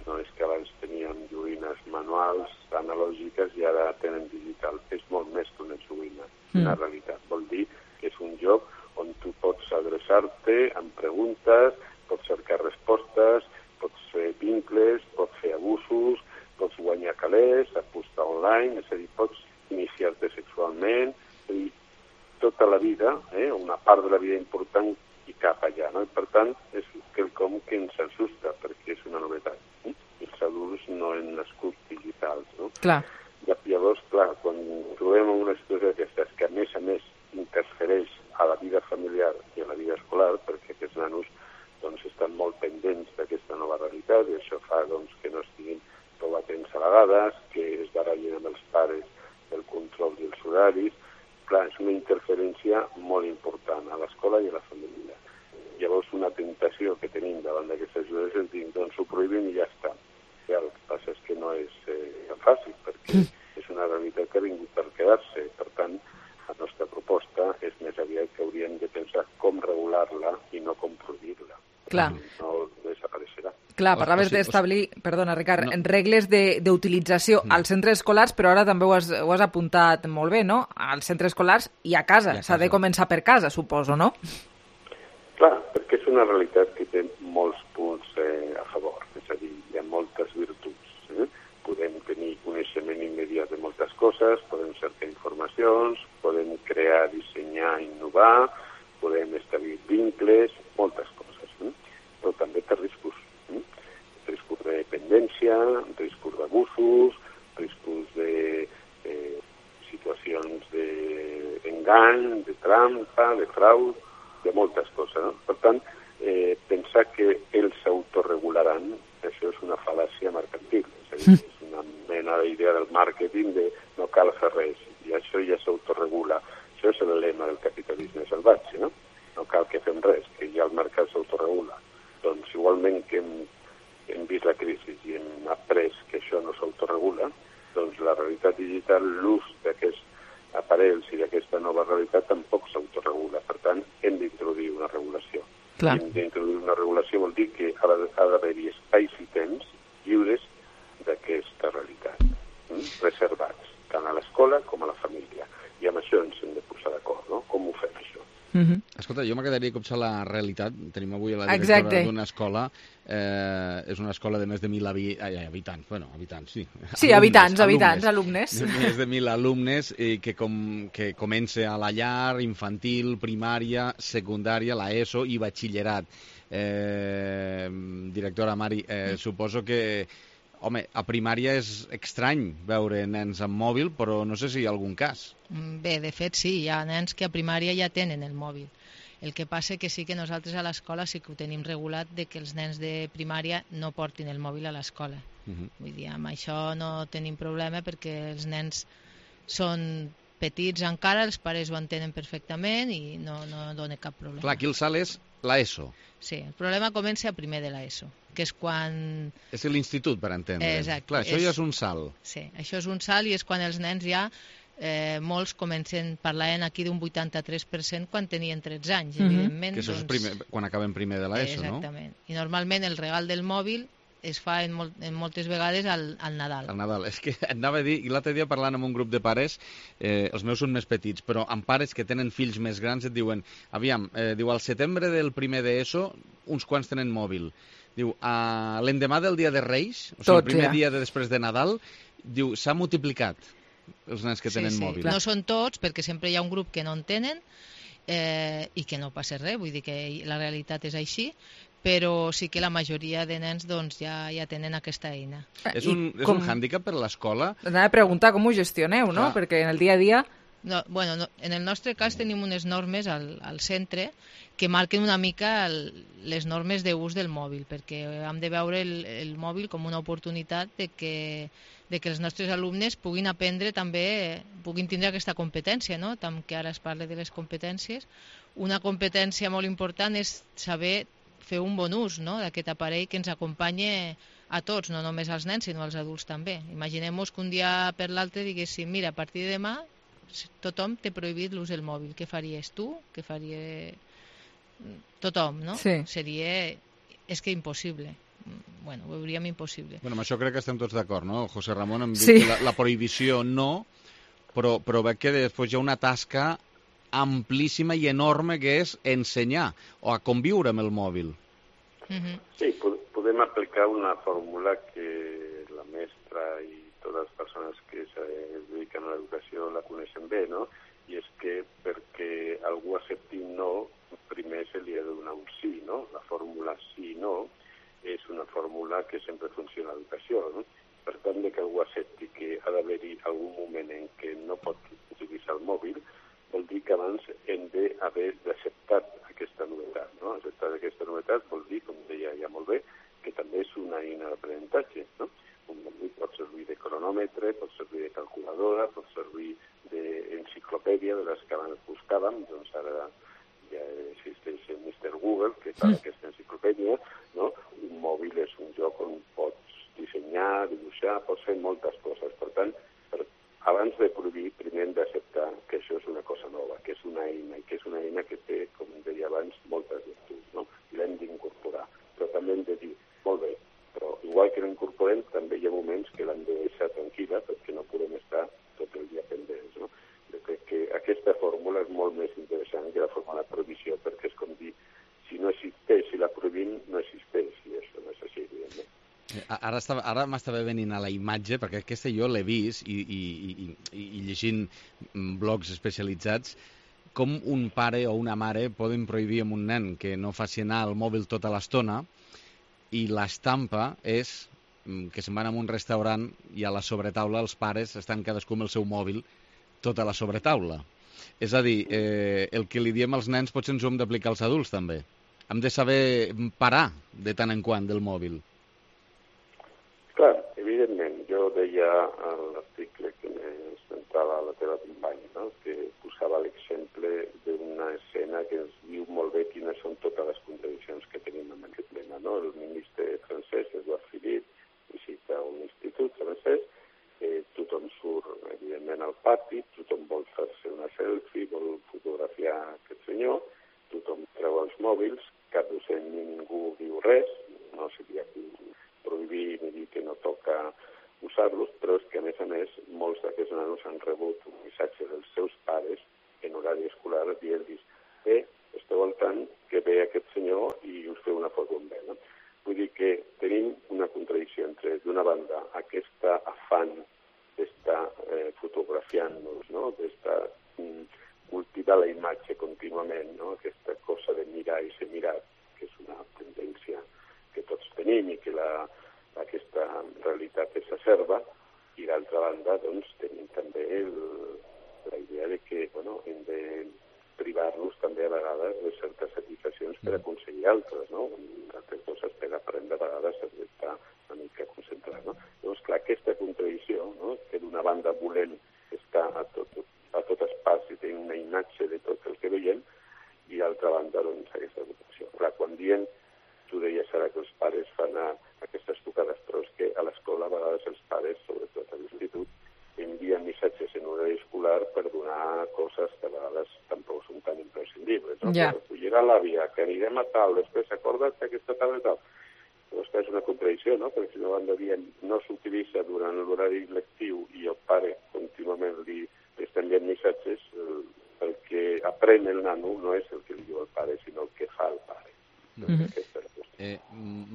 No és que abans teníem joguines manuals, analògiques, i ara tenen digital. És molt més que una joguina, mm. una realitat. Vol dir que és un joc on tu pots adreçar-te amb preguntes, pots cercar respostes, pots fer vincles, pots fer abusos, pots guanyar calés, apostar online, és a dir, pots iniciar-te sexualment, és a dir, tota la vida, eh, una part de la vida important i cap allà, no? I per tant, és quelcom que ens assusta, perquè és una novetat. Eh? Els adults no han nascut digitals, no? Clar. Llavors, clar, quan trobem una situació d'aquestes que a més a més interfereix a la vida familiar i a la vida escolar, perquè aquests nanos doncs, estan molt pendents d'aquesta nova realitat, i això fa doncs, que no estiguin prou atents a vegades, que es barallin amb els pares del control dels horaris. Clar, és una interferència molt important a l'escola i a la família. Llavors, una tentació que tenim davant d'aquestes ajudes és dir, doncs ho prohibim i ja està. I el que passa és que no és eh, tan fàcil, perquè és una realitat que ha vingut per quedar-se. Per tant, la nostra proposta és més aviat que hauríem de pensar com regular-la i no com prohibir-la. Clar. No desapareixerà. Clar, parlaves d'establir, perdona, Ricard, no. regles d'utilització no. als centres escolars, però ara també ho has, ho has apuntat molt bé, no? Als centres escolars i a casa. S'ha de començar per casa, suposo, no? Clar, perquè és una realitat que té molts punts eh, a favor. És a dir, hi ha moltes virtuts. Eh? Podem tenir coneixement immediat de moltes coses, podem cercar informacions, podem crear, dissenyar, innovar, podem establir vincles, moltes coses. Eh? Però també té riscos. Eh? Riscos de dependència, riscos d'abusos, riscos de eh, situacions d'engany, de trampa, de frau, de moltes coses. No? Per tant, eh, pensar que ells s'autoregularan, això és una fal·làcia mercantil. És a dir, és una mena d'idea del màrqueting de no cal fer res, i això ja s'autoregula. Això això és el lema del capitalisme salvatge, no? No cal que fem res, que ja el mercat s'autoregula. Doncs igualment que hem, hem vist la crisi i hem après que això no s'autoregula, doncs la realitat digital, l'ús d'aquests aparells i d'aquesta nova realitat tampoc s'autoregula. Per tant, hem d'introduir una regulació. Clar. Hem d'introduir una regulació vol dir que ha d'haver-hi espais i temps lliures d'aquesta realitat, mm? reservats, tant a l'escola com a la família. I amb això ens hem de posar d'acord, no? Com ho fem, això? Mm-hmm. Escolta, jo m'agradaria copsar la realitat. Tenim avui la directora Exacte. d'una escola, eh, és una escola de més de mil habi... ai, habitants, bueno, habitants, sí. Sí, alumnes, habitants, habitants, alumnes. alumnes. Més de mil alumnes i que, com, que comença a la llar, infantil, primària, secundària, la ESO i batxillerat. Eh, directora Mari, eh, suposo que home, a primària és estrany veure nens amb mòbil, però no sé si hi ha algun cas. Bé, de fet sí, hi ha nens que a primària ja tenen el mòbil. El que passa que sí que nosaltres a l'escola sí que ho tenim regulat de que els nens de primària no portin el mòbil a l'escola. Uh-huh. Vull dir, amb això no tenim problema perquè els nens són petits encara, els pares ho entenen perfectament i no, no dona cap problema. Clar, aquí el salt és l'ESO. Sí, el problema comença a primer de l'ESO, que és quan... És l'institut, per entendre. Exacte. Clar, això és... ja és un salt. Sí, això és un salt i és quan els nens ja, eh, molts comencen, parlaven aquí d'un vuitanta-tres per cent quan tenien tretze anys, mm-hmm. evidentment. Que això doncs... és primer, quan acabem primer de l'ESO, no? Exactament. I normalment el regal del mòbil es fa en, molt, en moltes vegades al, al Nadal. Al Nadal. És que et anava a dir, i l'altre dia parlant amb un grup de pares, eh, els meus són més petits, però amb pares que tenen fills més grans et diuen, aviam, eh, diu, al setembre del primer d'ESO, uns quants tenen mòbil. Diu, a l'endemà del dia de Reis, o sigui, Tots, el primer ja. dia de després de Nadal, diu, s'ha multiplicat els nens que tenen sí, sí. mòbil. No són tots, perquè sempre hi ha un grup que no en tenen eh, i que no passa res, vull dir que la realitat és així, però sí que la majoria de nens doncs, ja, ja tenen aquesta eina. És un, és com... un hàndicap per l'escola? Anava a preguntar com ho gestioneu, no? Clar. Perquè en el dia a dia... No, bueno, no, en el nostre cas tenim unes normes al, al centre que marquen una mica el, les normes d'ús del mòbil, perquè hem de veure el, el mòbil com una oportunitat de que, de que els nostres alumnes puguin aprendre també, puguin tindre aquesta competència, no? Tant que ara es parla de les competències. Una competència molt important és saber fer un bon ús, no?, d'aquest aparell que ens acompanya a tots, no només als nens, sinó als adults també. Imaginem-nos que un dia per l'altre diguéssim, mira, a partir de demà tothom té prohibit l'ús del mòbil. Què faries tu? Què faria tothom, no? Sí. Seria... És que impossible. Bueno, ho veuríem impossible. Bueno, amb això crec que estem tots d'acord, no? José Ramon em diu sí. que la, la prohibició no, però, però veig que després hi ha una tasca amplíssima i enorme que és ensenyar o a conviure amb el mòbil. Mm-hmm. Sí, podem aplicar una fórmula que la mestra i totes les persones que es dediquen a l'educació la coneixen bé, no? I és que perquè algú accepti no, primer se li ha de donar un sí, no? La fórmula sí-no és una fórmula que sempre funciona a l'educació, no? Per tant, que algú accepti que ha d'haver-hi algun moment en què no pot utilitzar el mòbil, vol dir que abans hem d'haver d'acceptar aquesta novetat, no? Acceptar aquesta novetat vol dir, com deia ja molt bé, que també és una eina d'aprenentatge, no? Un mòbil pot servir de cronòmetre, pot servir de calculadora, pot servir d'enciclopèdia, de les que abans buscàvem, doncs ara ja existeix el mister Google, que fa mm. aquesta enciclopèdia, no? Un mòbil és un lloc on pots dissenyar, dibuixar, pots fer moltes coses. Per tant, per, abans de prohibir, primer hem d'acceptar que això és una cosa nova, que és una eina, i que és una eina que té, com deia abans, moltes virtuts, no? I l'hem d'incorporar. Però també hem de dir, molt bé, però igual que l'incorporem, també hi ha moments que l'hem de deixar tranquil·la perquè no podem estar tot el dia pendents, no? Jo crec que aquesta fórmula és molt més interessant que la fórmula de prohibició, perquè és com dir, si no existeix, si la prohibim, no existeix, i això no és així, evidentment. Ara, estava, ara m'estava venint a la imatge, perquè aquesta jo l'he vist, i, i, i, i llegint blogs especialitzats, com un pare o una mare poden prohibir a un nen que no faci anar el mòbil tota l'estona, i l'estampa és que se'n van a un restaurant i a la sobretaula els pares estan cadascú amb el seu mòbil tota la sobretaula. És a dir, eh, el que li diem als nens potser ens ho hem d'aplicar als adults també. Hem de saber parar de tant en quant del mòbil. Clar, evidentment, jo deia a l'article que m'esmentava la teva companya, no? Que posava l'exemple mòbils, cap docent ni ningú diu res, no seria prohibir ni dir que no toca usar-los, però és que, a més a més, molts d'aquests nanos han rebut un missatge dels seus pares en horari escolar dient-los bé, esteu al tant que ve aquest senyor i us feu una foto amb ell. No? Vull dir que tenim una contradicció entre, d'una banda, aquesta afán d'estar eh, fotografiant-nos, no? d'estar mm, cultivar la imatge contínuament, no? aquesta cosa de mirar i ser mirat, que és una tendència que tots tenim i que la, aquesta realitat s'acerba, i d'altra banda doncs, tenim també el, la idea de que bueno, hem de privar-nos també a vegades de certes satisfaccions per aconseguir altres, no? Altres coses per aprendre a vegades has d'estar una mica concentrat, no? Llavors, clar, aquesta contradicció, no? Que d'una banda volem estar a tot, a totes parts i tenir una imatge de tot el que veiem, i d'altra banda, doncs, aquesta contradicció. Clar, quan diem, tu deies ara que els pares fan a, aquestes tocades, però és que a l'escola a vegades els pares, sobretot a l'institut, envien missatges en horari escolar per donar coses que a vegades tampoc són tan imprescindibles. No? Ja. Que recollirà l'àvia, que anirem a tal, després acorda't que aquesta tarda tal. Llavors que és una contradicció, no? Perquè si no banda dient no s'utilitza durant l'horari lectiu i el pare contínuament li, li està enviant missatges, el, el que aprèn el nano no és el que li diu el pare, sinó el que fa el pare. Mm-hmm. Eh,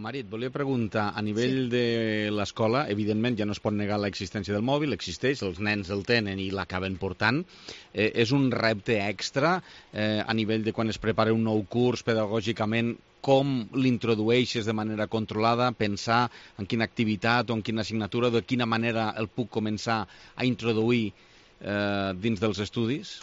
Mari, et volia preguntar, a nivell sí. de l'escola, evidentment ja no es pot negar l'existència del mòbil, existeix, els nens el tenen i l'acaben portant. Eh, és un repte extra eh, a nivell de quan es prepara un nou curs pedagògicament, com l'introdueixes de manera controlada, pensar en quina activitat o en quina assignatura, de quina manera el puc començar a introduir eh, dins dels estudis?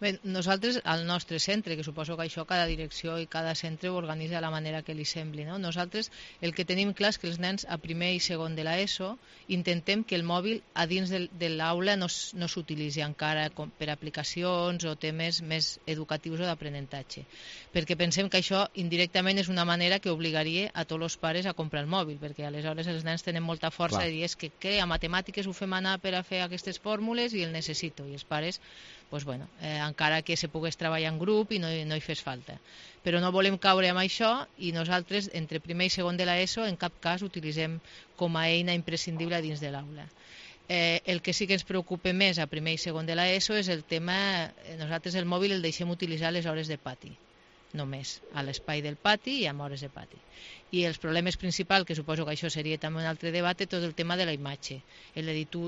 Bé, nosaltres, al nostre centre, que suposo que això cada direcció i cada centre ho organitza de la manera que li sembli, no? Nosaltres el que tenim clar és que els nens a primer i segon de l'ESO intentem que el mòbil a dins de, de l'aula no, no s'utilitzi encara com per aplicacions o temes més educatius o d'aprenentatge, perquè pensem que això indirectament és una manera que obligaria a tots els pares a comprar el mòbil, perquè aleshores els nens tenen molta força Clar. de dir és que què, a matemàtiques ho fem anar per a fer aquestes fórmules i el necessito, i els pares pues bueno, eh, encara que se pogués treballar en grup i no, no hi fes falta. Però no volem caure amb això i nosaltres, entre primer i segon de l'ESO, en cap cas utilitzem com a eina imprescindible dins de l'aula. Eh, el que sí que ens preocupa més a primer i segon de l'ESO és el tema, nosaltres el mòbil el deixem utilitzar a les hores de pati, només, a l'espai del pati i amb hores de pati. I els problemes principals, que suposo que això seria també un altre debat, és tot el tema de la imatge. El de dir, tu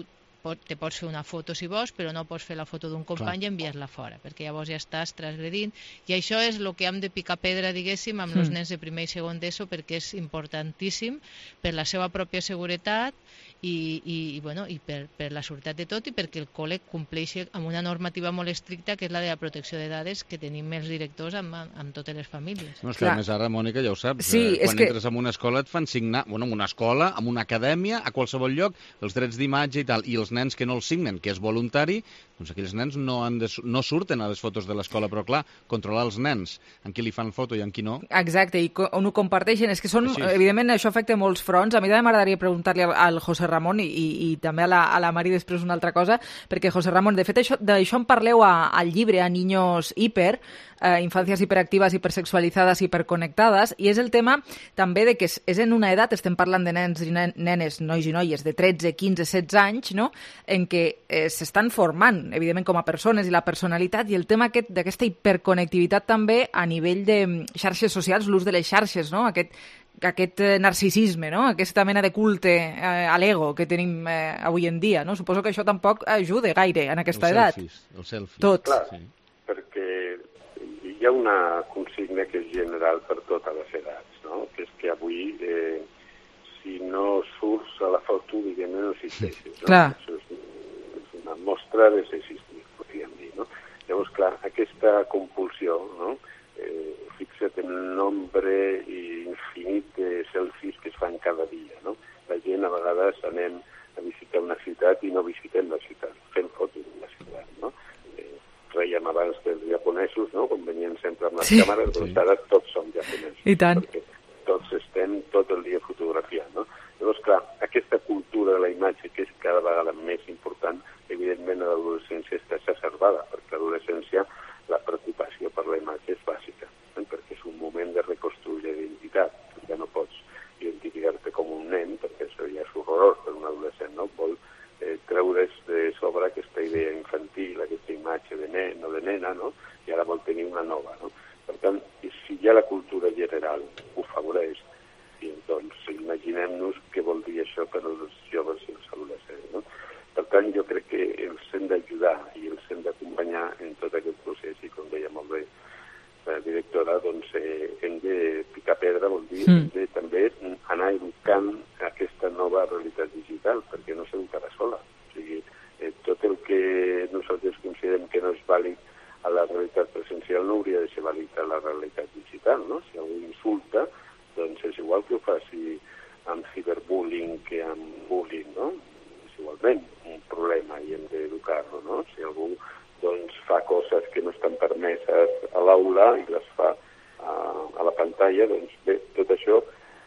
te pots fer una foto si vols, però no pots fer la foto d'un company Clar. i enviar-la fora, perquè llavors ja estàs transgredint, i això és el que hem de picar pedra, diguéssim, amb els mm. nens de primer i segon d'ESO, perquè és importantíssim per la seva pròpia seguretat i, i, i, bueno, i per, per la seguretat de tot i perquè el col·le compleixi amb una normativa molt estricta, que és la de la protecció de dades que tenim els directors amb, amb totes les famílies. No, és que a més ara, Mònica, ja ho saps, sí, eh, quan que... entres en una escola et fan signar, bueno, en una escola, en una acadèmia, a qualsevol lloc, els drets d'imatge i tal, i els nens que no els signen, que és voluntari, doncs aquells nens no, han de, no surten a les fotos de l'escola, però clar, controlar els nens, en qui li fan foto i en qui no. Exacte, i on ho comparteixen, és que són, Així. evidentment, això afecta molts fronts. A mi també m'agradaria preguntar-li al, al José Ramon i, i, i també a la, a la Mari després una altra cosa, perquè José Ramon, de fet, d'això en parleu a, al llibre, a Niños Hiper, eh, Infàncies hiperactives, hipersexualitzades, hiperconnectades, i és el tema també de que és, és en una edat, estem parlant de nens i nenes, nois i noies de tretze, quinze, setze anys, no?, en què eh, s'estan formant, evidentment, com a persones i la personalitat, i el tema aquest d'aquesta hiperconnectivitat també a nivell de xarxes socials, l'ús de les xarxes, no?, aquest aquest narcisisme, no?, aquesta mena de culte eh, a l'ego que tenim eh, avui en dia, no? Suposo que això tampoc ajuda gaire en aquesta el edat. Selfies, el selfie. Tot. Clar, sí. Perquè hi ha una consigna que és general per totes les edats, no?, que és que avui eh, si no surts a la foto, diguem, no existeixes. No? Clar. Això és, és una mostra de ser existir, podríem dir, no? Llavors, clar, aquesta compulsió, no?, eh, fixa't en el nombre infinit de selfies que es fan cada dia, no? La gent a vegades anem a visitar una ciutat i no visitem la ciutat, fem fotos de la ciutat, no? Eh, Rèiem abans dels japonesos, no?, quan venien sempre amb les sí. càmeres, doncs sí. ara tots som japonesos. I tant. Perquè tots estem tot el dia fotografiant, no? Llavors, clar, aquesta cultura de la imatge, que és cada vegada més important, evidentment a l'adolescència està exacerbada, perquè a l'adolescència la preocupació per la imatge és bàsica, eh? perquè és un moment de buena, no? I ara vol tenir una nova, no? Per tant, si ja la cultura general ho afavoreix, i doncs imaginem-nos què vol dir això per als joves i els adolescents, no? Per tant, jo crec que els hem d'ajudar i els hem d'acompanyar en tot aquest procés, i com deia molt bé la directora, doncs eh, hem de picar pedra, vol dir, mm. hem de també anar educant aquesta nova realitat digital, perquè no s'educarà sola. O sigui, eh, tot el que nosaltres considerem que no és vàlid a la realitat presencial no hauria de ser vàlid a la realitat digital, no? Si algú insulta, doncs és igual que ho faci amb ciberbullying que amb bullying, no? És igualment un problema i hem d'educar-lo, no? Si algú doncs, fa coses que no estan permeses a l'aula i les fa a, a la pantalla, doncs bé, tot això,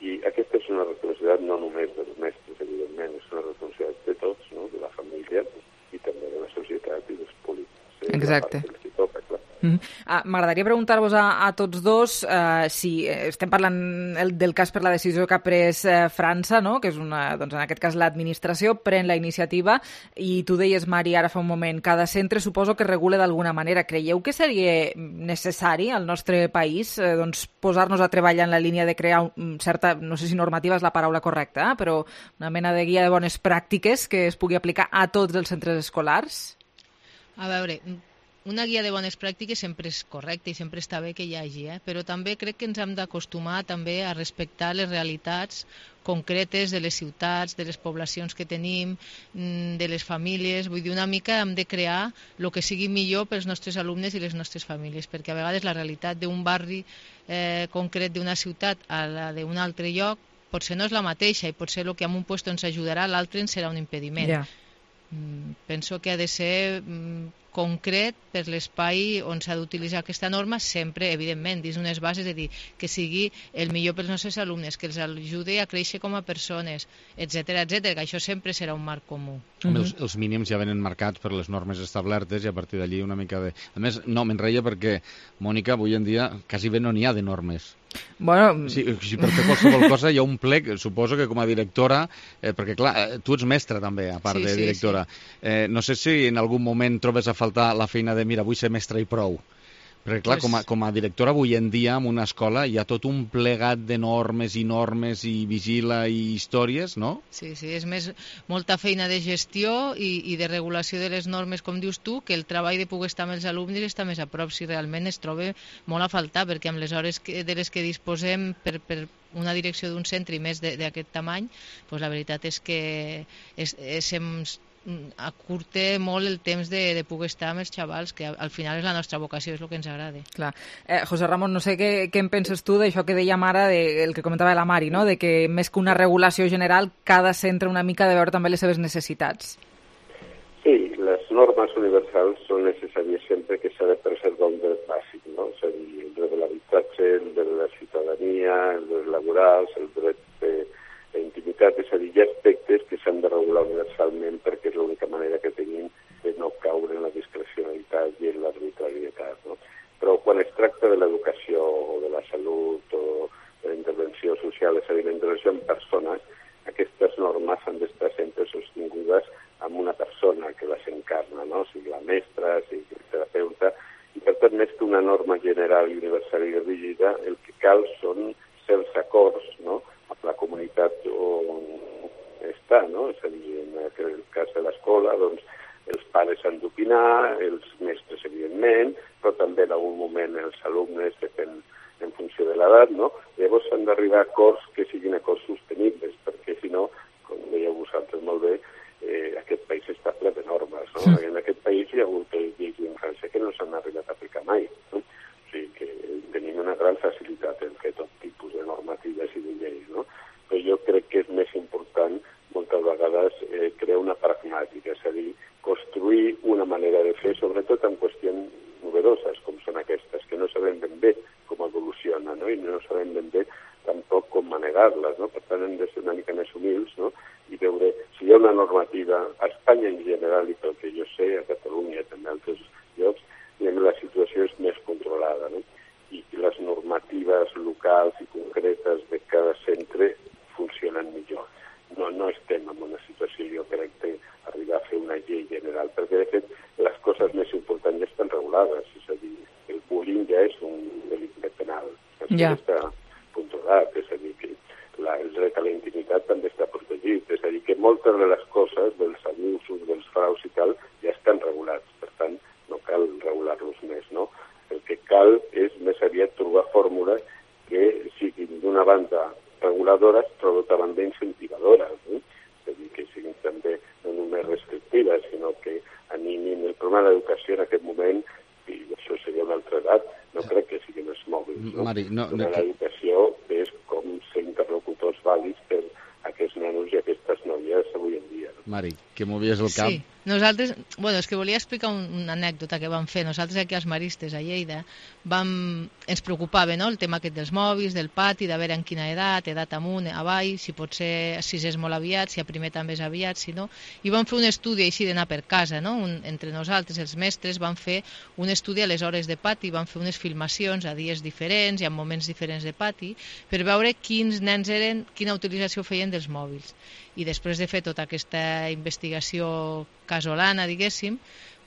i aquesta és una responsabilitat no només dels mestres, evidentment, és una responsabilitat de tots, no? De la família i també de la societat i dels polítics. Eh? Exacte. Toca, clar. Mm-hmm. Ah, m'agradaria preguntar-vos a, a tots dos eh, si estem parlant el, del cas per la decisió que ha pres eh, França, no? Que és una, doncs en aquest cas l'administració pren la iniciativa, i tu deies, Mari, ara fa un moment, cada centre suposo que regula d'alguna manera. Creieu que seria necessari al nostre país eh, doncs, posar-nos a treballar en la línia de crear un, certa, no sé si normativa és la paraula correcta, eh, però una mena de guia de bones pràctiques que es pugui aplicar a tots els centres escolars? A veure, una guia de bones pràctiques sempre és correcta i sempre està bé que hi hagi, eh? Però també crec que ens hem d'acostumar també a respectar les realitats concretes de les ciutats, de les poblacions que tenim, de les famílies. Vull dir, una mica hem de crear el que sigui millor pels nostres alumnes i les nostres famílies, perquè a vegades la realitat d'un barri eh, concret d'una ciutat a la d'un altre lloc potser no és la mateixa, i potser el que en un lloc ens ajudarà, l'altre ens serà un impediment. Yeah. Penso que ha de ser concret per l'espai on s'ha d'utilitzar aquesta norma, sempre, evidentment, dins unes bases de dir que sigui el millor pels nostres alumnes, que els ajudi a créixer com a persones, etcètera, etcètera, que això sempre serà un marc comú. Mm-hmm. els, els mínims ja venen marcats per les normes establertes i a partir d'allí una mica de... A més, no, me'n reia perquè, Mònica, avui en dia quasi bé no n'hi ha de normes. Bueno... Si, si per fer qualsevol cosa hi ha un plec, suposo que com a directora, eh, perquè clar, tu ets mestra també, a part sí, de sí, directora. Sí. Eh, no sé si en algun moment trobes a faltar la feina de mira, vull ser mestra i prou. Perquè clar, pues... com, a, com a directora avui en dia en una escola hi ha tot un plegat de normes i normes i vigila i històries, no? Sí, sí, és més molta feina de gestió i, i de regulació de les normes, com dius tu, que el treball de poder estar amb els alumnes està més a prop, si realment es troba molt a faltar, perquè amb les hores que, de les que disposem per, per una direcció d'un centre i més d'aquest tamany, pues la veritat és que és, és, és acurta molt el temps de, de poder estar amb els xavals, que al final és la nostra vocació, és el que ens agrada. Clar. Eh, José Ramon, no sé què, què en penses tu d'això que dèiem ara, de, el que comentava la Mari, no? De que més que una regulació general, cada centre una mica ha de veure també les seves necessitats. Sí, les normes universals són necessàries sempre que s'ha de preservar un dret bàsic, no? És a dir, el dret de l'habitatge, el dret de la ciutadania, el dret laborals, el dret de intimitat, és a dir, hi ha aspectes que s'han de regular universalment perquè és l'única manera que tenim de no caure en la discrecionalitat i en l'arbitrarietat, no? Però quan es tracta de l'educació o de la salut o de la intervenció social, és a dir, la intervenció en persones, aquestes normes han d'estar sempre sostingudes amb una persona que les encarna, no? O sigui, la mestra, sigui el terapeuta, i per tant, més que una norma general i universal i rígida, el que cal són certs acords, no?, amb la comunitat on està, no? És a dir, en el cas de l'escola, doncs, els pares han d'opinar, els mestres, evidentment, però també en algun moment els alumnes, depèn en funció de l'edat, no? Llavors s'han d'arribar a acords que siguin acords sostenibles, perquè si no, com dèieu vosaltres molt bé, eh, aquest país està ple de normes, no? Sí. En aquest país hi ha hagut lleis d'infància que no s'han arribat a aplicar mai, no? O sigui que tenim una gran facilitat en fer tot tipus de normatives i de lleis, no? Però jo crec que és més important moltes vegades eh, crear una pragmàtica, és a dir, construir una manera de fer, sobretot en qüestions novedoses, com són aquestes, que no sabem ben bé com evolucionen, no? I no sabem ben bé tampoc com manegar-les, no? Per tant, hem de ser una mica més humils, no? I veure si hi ha una normativa a Espanya en general, i pel que jo sé, a Catalunya, també a altres llocs, la situació és més controlada, no? I les normatives locals i concretes de cada centre funcionen millor. No, no estem en una situació, jo crec, d'arribar a fer una llei general, perquè de fet les coses més importants ja estan regulades, és a ja és un delicte penal. Això Ja. està puntuat, és a dir, que la, el dret a la intimitat també està protegit, és a dir, que moltes de les coses, dels abusos, dels fraus i tal, ja estan regulats, per tant, no cal regular-los més, no? El que cal és més aviat trobar fórmules que siguin d'una banda reguladores, però d'altra banda incentivadores, no? És a dir, que siguin també no només restrictives, sinó que animin el problema de l'educació en aquest moment, i això seria una altra edat, no crec que siguin els mòbils, no? Mari, no, no, L'educació és com ser interlocutors vàlids per aquests nanos i aquestes noies avui en dia. No? Mari, que movies el cap. Sí, nosaltres, bueno, és que volia explicar un, una anècdota que vam fer. Nosaltres aquí als Maristes, a Lleida, vam, ens preocupava, no?, el tema aquest dels mòbils, del pati, de veure en quina edat, edat amunt, avall, si pot ser, si és molt aviat, si a primer també és aviat, si no. I vam fer un estudi així d'anar per casa, no?, un, entre nosaltres, els mestres, vam fer un estudi a les hores de pati, vam fer unes filmacions a dies diferents i en moments diferents de pati, per veure quins nens eren, quina utilització feien dels mòbils. I després de fer tota aquesta investigació casolana, diguéssim,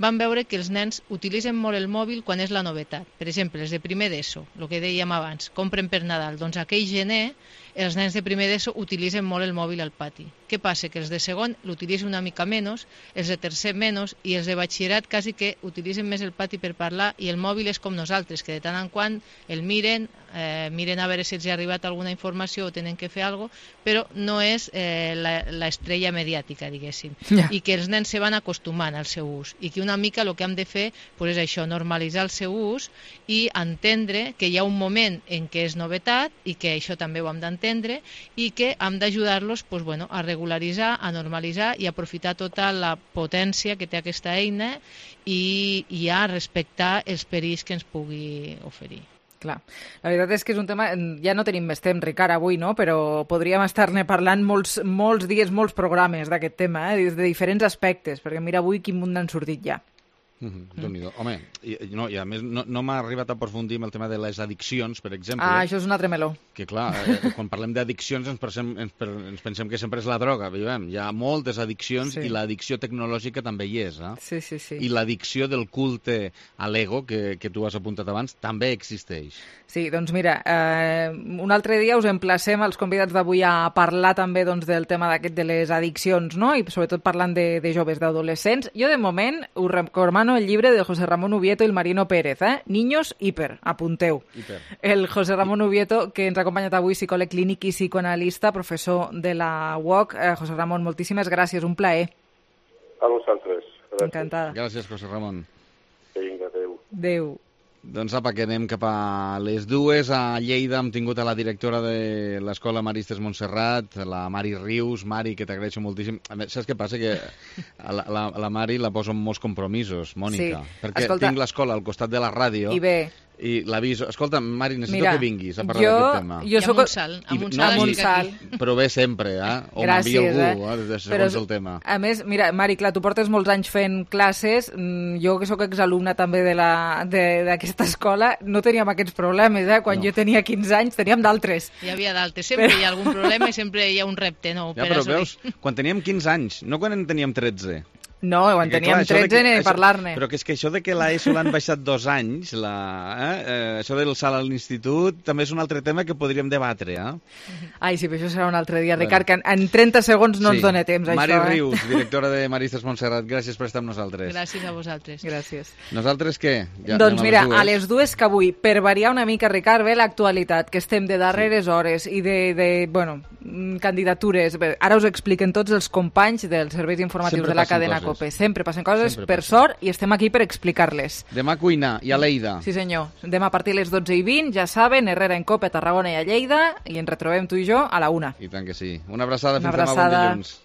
vam veure que els nens utilitzen molt el mòbil quan és la novetat. Per exemple, els de primer d'ESO, el que dèiem abans, compren per Nadal. Doncs aquell gener, els nens de primer d'ESO utilitzen molt el mòbil al pati. Què passa? Que els de segon l'utilitzen una mica menys, els de tercer menys, i els de batxillerat quasi que utilitzen més el pati per parlar, i el mòbil és com nosaltres, que de tant en quant el miren, eh, miren a veure si els ha arribat alguna informació o tenen que fer alguna cosa, però no és eh, l'estrella mediàtica, diguéssim. Ja. I que els nens se van acostumant al seu ús, i que una mica el que hem de fer pues, és això, normalitzar el seu ús i entendre que hi ha un moment en què és novetat, i que això també ho hem d'entendre, i que hem d'ajudar-los pues, bueno, a regularitzar, a normalitzar i aprofitar tota la potència que té aquesta eina i, i a respectar els perills que ens pugui oferir. Clar, la veritat és que és un tema, ja no tenim més temps, Ricard, avui, no? Però podríem estar-ne parlant molts, molts dies, molts programes d'aquest tema, eh? Des de diferents aspectes, perquè mira avui quin munt n'han sortit ja. Mm-hmm. Déu-n'hi-do. Home, i, no, i a més no, no m'ha arribat a aprofundir en el tema de les addiccions, per exemple. Ah, això és un altre meló. Que clar, eh, quan parlem d'addiccions ens, pensem, ens, ens pensem que sempre és la droga, veiem. Hi ha moltes addiccions sí. I l'addicció tecnològica també hi és. Eh? Sí, sí, sí. I l'addicció del culte a l'ego, que, que tu has apuntat abans, també existeix. Sí, doncs mira, eh, un altre dia us emplacem als convidats d'avui a parlar també doncs, del tema d'aquest de les addiccions, no? I sobretot parlant de, de joves, d'adolescents. Jo de moment us recomano el llibre de José Ramón Ubieto i el Marino Pérez, eh? Niños hiper, apunteu. Hiper. El José Ramón Ubieto, que ens ha acompanyat avui, psicòleg clínic i psicoanalista, professor de la U O C. Eh, José Ramón, moltíssimes gràcies, un plaer. A vosaltres. Gràcies. Encantada. Gràcies, José Ramón. Vinga, adéu. Adéu. Doncs apa, que anem cap a les dues. A Lleida hem tingut a la directora de l'Escola Maristes Montserrat, la Mari Rius. Mari, que t'agraeixo moltíssim. A més, saps què passa? Que a la, la, la Mari la poso en molts compromisos, Mònica. Sí. Perquè Escolta, tinc l'escola al costat de la ràdio. I bé, i l'aviso. Escolta, Mari, necessito mira, que vinguis a parlar jo, d'aquest tema. Jo soc... Amb un salt, amb un salt, no, un salt. Però bé sempre, eh? O m'envia algú, eh? eh? Segons Però, el tema. A més, mira, Mari, clar, tu portes molts anys fent classes, jo que sóc exalumna també d'aquesta escola, no teníem aquests problemes, eh? Quan no. jo tenia quinze anys teníem d'altres. Hi havia d'altres, sempre però... hi ha algun problema i sempre hi ha un repte nou ja, per però assolir. Veus, quan teníem quinze anys, no quan en teníem tretze. No, quan perquè, teníem clar, tretze ni parlar-ne. Però que és que això de que l'ESO l'han baixat dos anys, la, eh, eh, això del salt a l'institut, també és un altre tema que podríem debatre, eh? Ai, sí, però això serà un altre dia, Ricard, que en, en trenta segons no sí. ens dona temps, Mari això. Mari Rius, eh? directora de Maristes Montserrat, gràcies per estar amb nosaltres. Gràcies a vosaltres. Gràcies. Nosaltres què? Ja doncs mira, a les, a les dues que avui, per variar una mica, Ricard, ve l'actualitat, que estem de darreres sí. hores i de, de, bueno, candidatures. Bé, ara us expliquen tots els companys dels serveis informatius Sempre de la cadena coses. COPE. Sempre passen coses, Sempre per passa. sort, i estem aquí per explicar-les. Demà cuina, i a Lleida. Sí, senyor. Demà a partir de les dotze i vint, ja saben, Herrera en COPE, a Tarragona i a Lleida, i ens retrobem tu i jo a la una. I tant que sí. Una abraçada, Una fins abraçada. demà, bon dilluns.